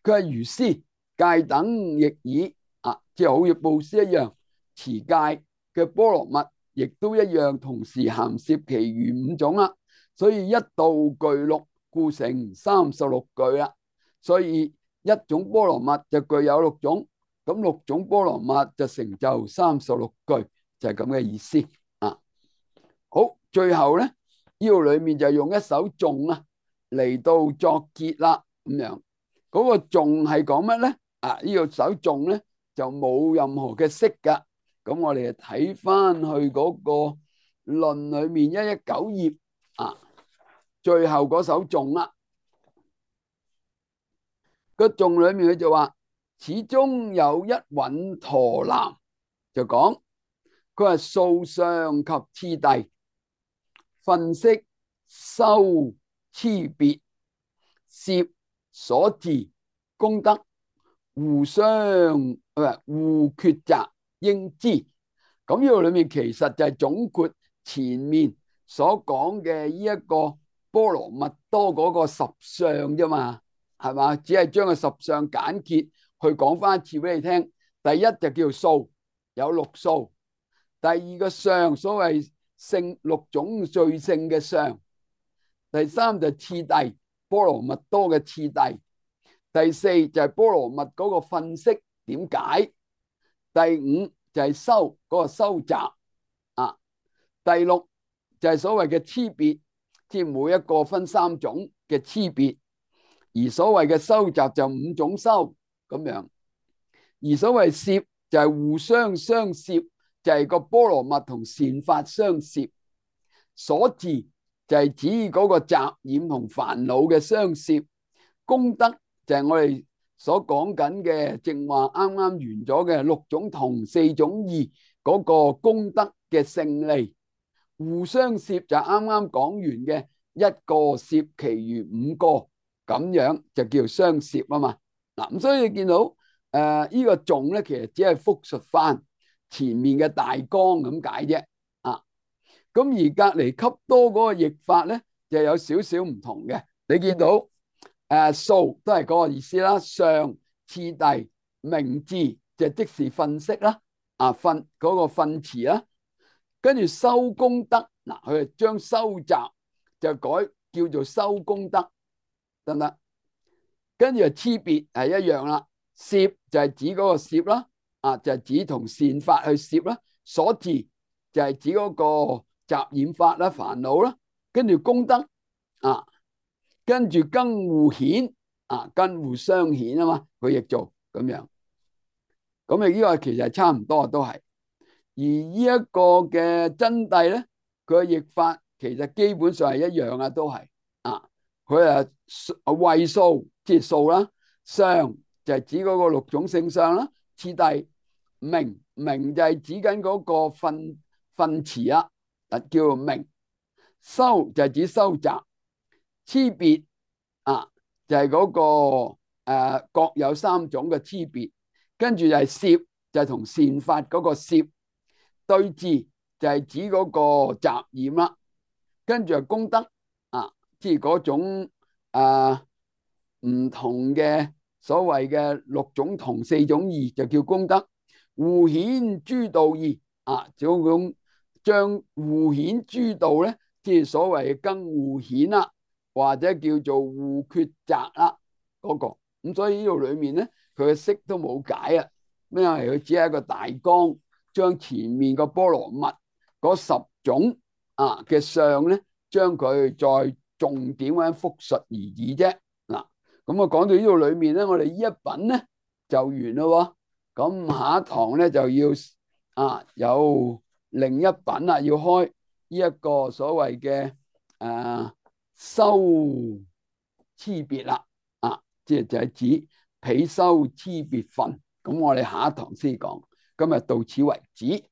S1: 佢係如施戒等亦爾啊，即係好似布施一樣，持戒嘅波羅蜜亦都一樣，同時涵攝其餘五種啦。所以一度具六，故成三十六句啦。所以一種波羅蜜就具有六種，咁六種波羅蜜就成就三十六句，就係咁嘅意思啊。好，最後咧呢度裏面就用一首頌啊嚟到作結啦，咁樣嗰個頌係講乜咧？啊，呢個首頌咧就冇任何嘅釋噶。咁我哋就睇翻去嗰個論裏面一一九頁啊，最後嗰首頌啦。個頌裏面佢就話，始終有一穩陀南，就講佢係數相及次第，分析修差別，攝所致功德，互相唔係互抉擇應知。咁呢個裏面其實就係總括前面所講嘅呢一個波羅蜜多嗰個十相啫嘛，係嘛？只係將個十相簡潔去講翻一次俾你聽。第一就叫數，有六數；第二個相，所謂聖六種最勝嘅相；第三就次第，波羅蜜多嘅次第；第四就係波羅蜜嗰個分析點解；第五就係修嗰個修集啊；第六就係所謂嘅差別，即係每一個分三種嘅差別。而所謂嘅修集就五種修咁樣，而所謂攝就係互相相攝，就係個波羅蜜同善法相攝。所致就係指嗰個雜染同煩惱嘅相攝。功德就係我哋所講緊嘅正話啱啱完咗嘅六種同四種異嗰個功德嘅勝利。互相攝就啱啱講完嘅一個攝其餘五個。咁樣就叫相攝啊嘛。嗱，咁所以你見到誒、呃這個、呢個頌咧，其實只係複述翻前面嘅大綱咁解啫。啊，咁而隔離笈多嗰個譯法咧，就有少少唔同嘅。你見到誒、呃、數都係嗰個意思啦，相次第名字就即是分析啦，啊分嗰、那個分詞啦，跟住修功德嗱，佢就將修集就改叫做修功德。得唔得？跟住就差別係一樣啦，攝就係指嗰個攝啦，啊就係、是、指同善法去攝啦，所致就係指嗰個雜染法啦、煩惱啦，跟住功德啊，跟住更互顯啊，更互相顯啊嘛，佢亦做咁樣。咁啊，呢個其實係差唔多都係。而呢一個嘅真諦咧，佢嘅譯法其實基本上係一樣啊，都係啊。佢係位數即係數啦，相就係指嗰個六種聖相啦，次第名名就係指緊嗰個分分詞啦，啊叫做名。修就係指收集，差別啊就係嗰個誒各有三種嘅差別，跟住就係攝就係同善法嗰個攝，對治就係指嗰個雜染啦，跟住係功德啊。即係嗰種啊唔同嘅所謂嘅六種同四種異就叫功德。互顯諸道義啊，就咁將互顯諸道咧，即係所謂嘅更互顯啦，或者叫做互抉擇啦嗰個。咁所以呢度裏面咧，佢嘅釋都冇解啊。咩啊？佢只係一個大綱，將前面個波羅蜜嗰十種啊嘅相咧，將佢再重點咁樣複述而已啫。嗱，咁啊講到呢度裏面咧，我哋呢一品咧就完咯。咁下一堂咧就要啊有另一品啦，要開呢一個所謂嘅誒修差別啦。啊，即係就係指比修差別分。咁我哋下一堂先講，今日到此為止。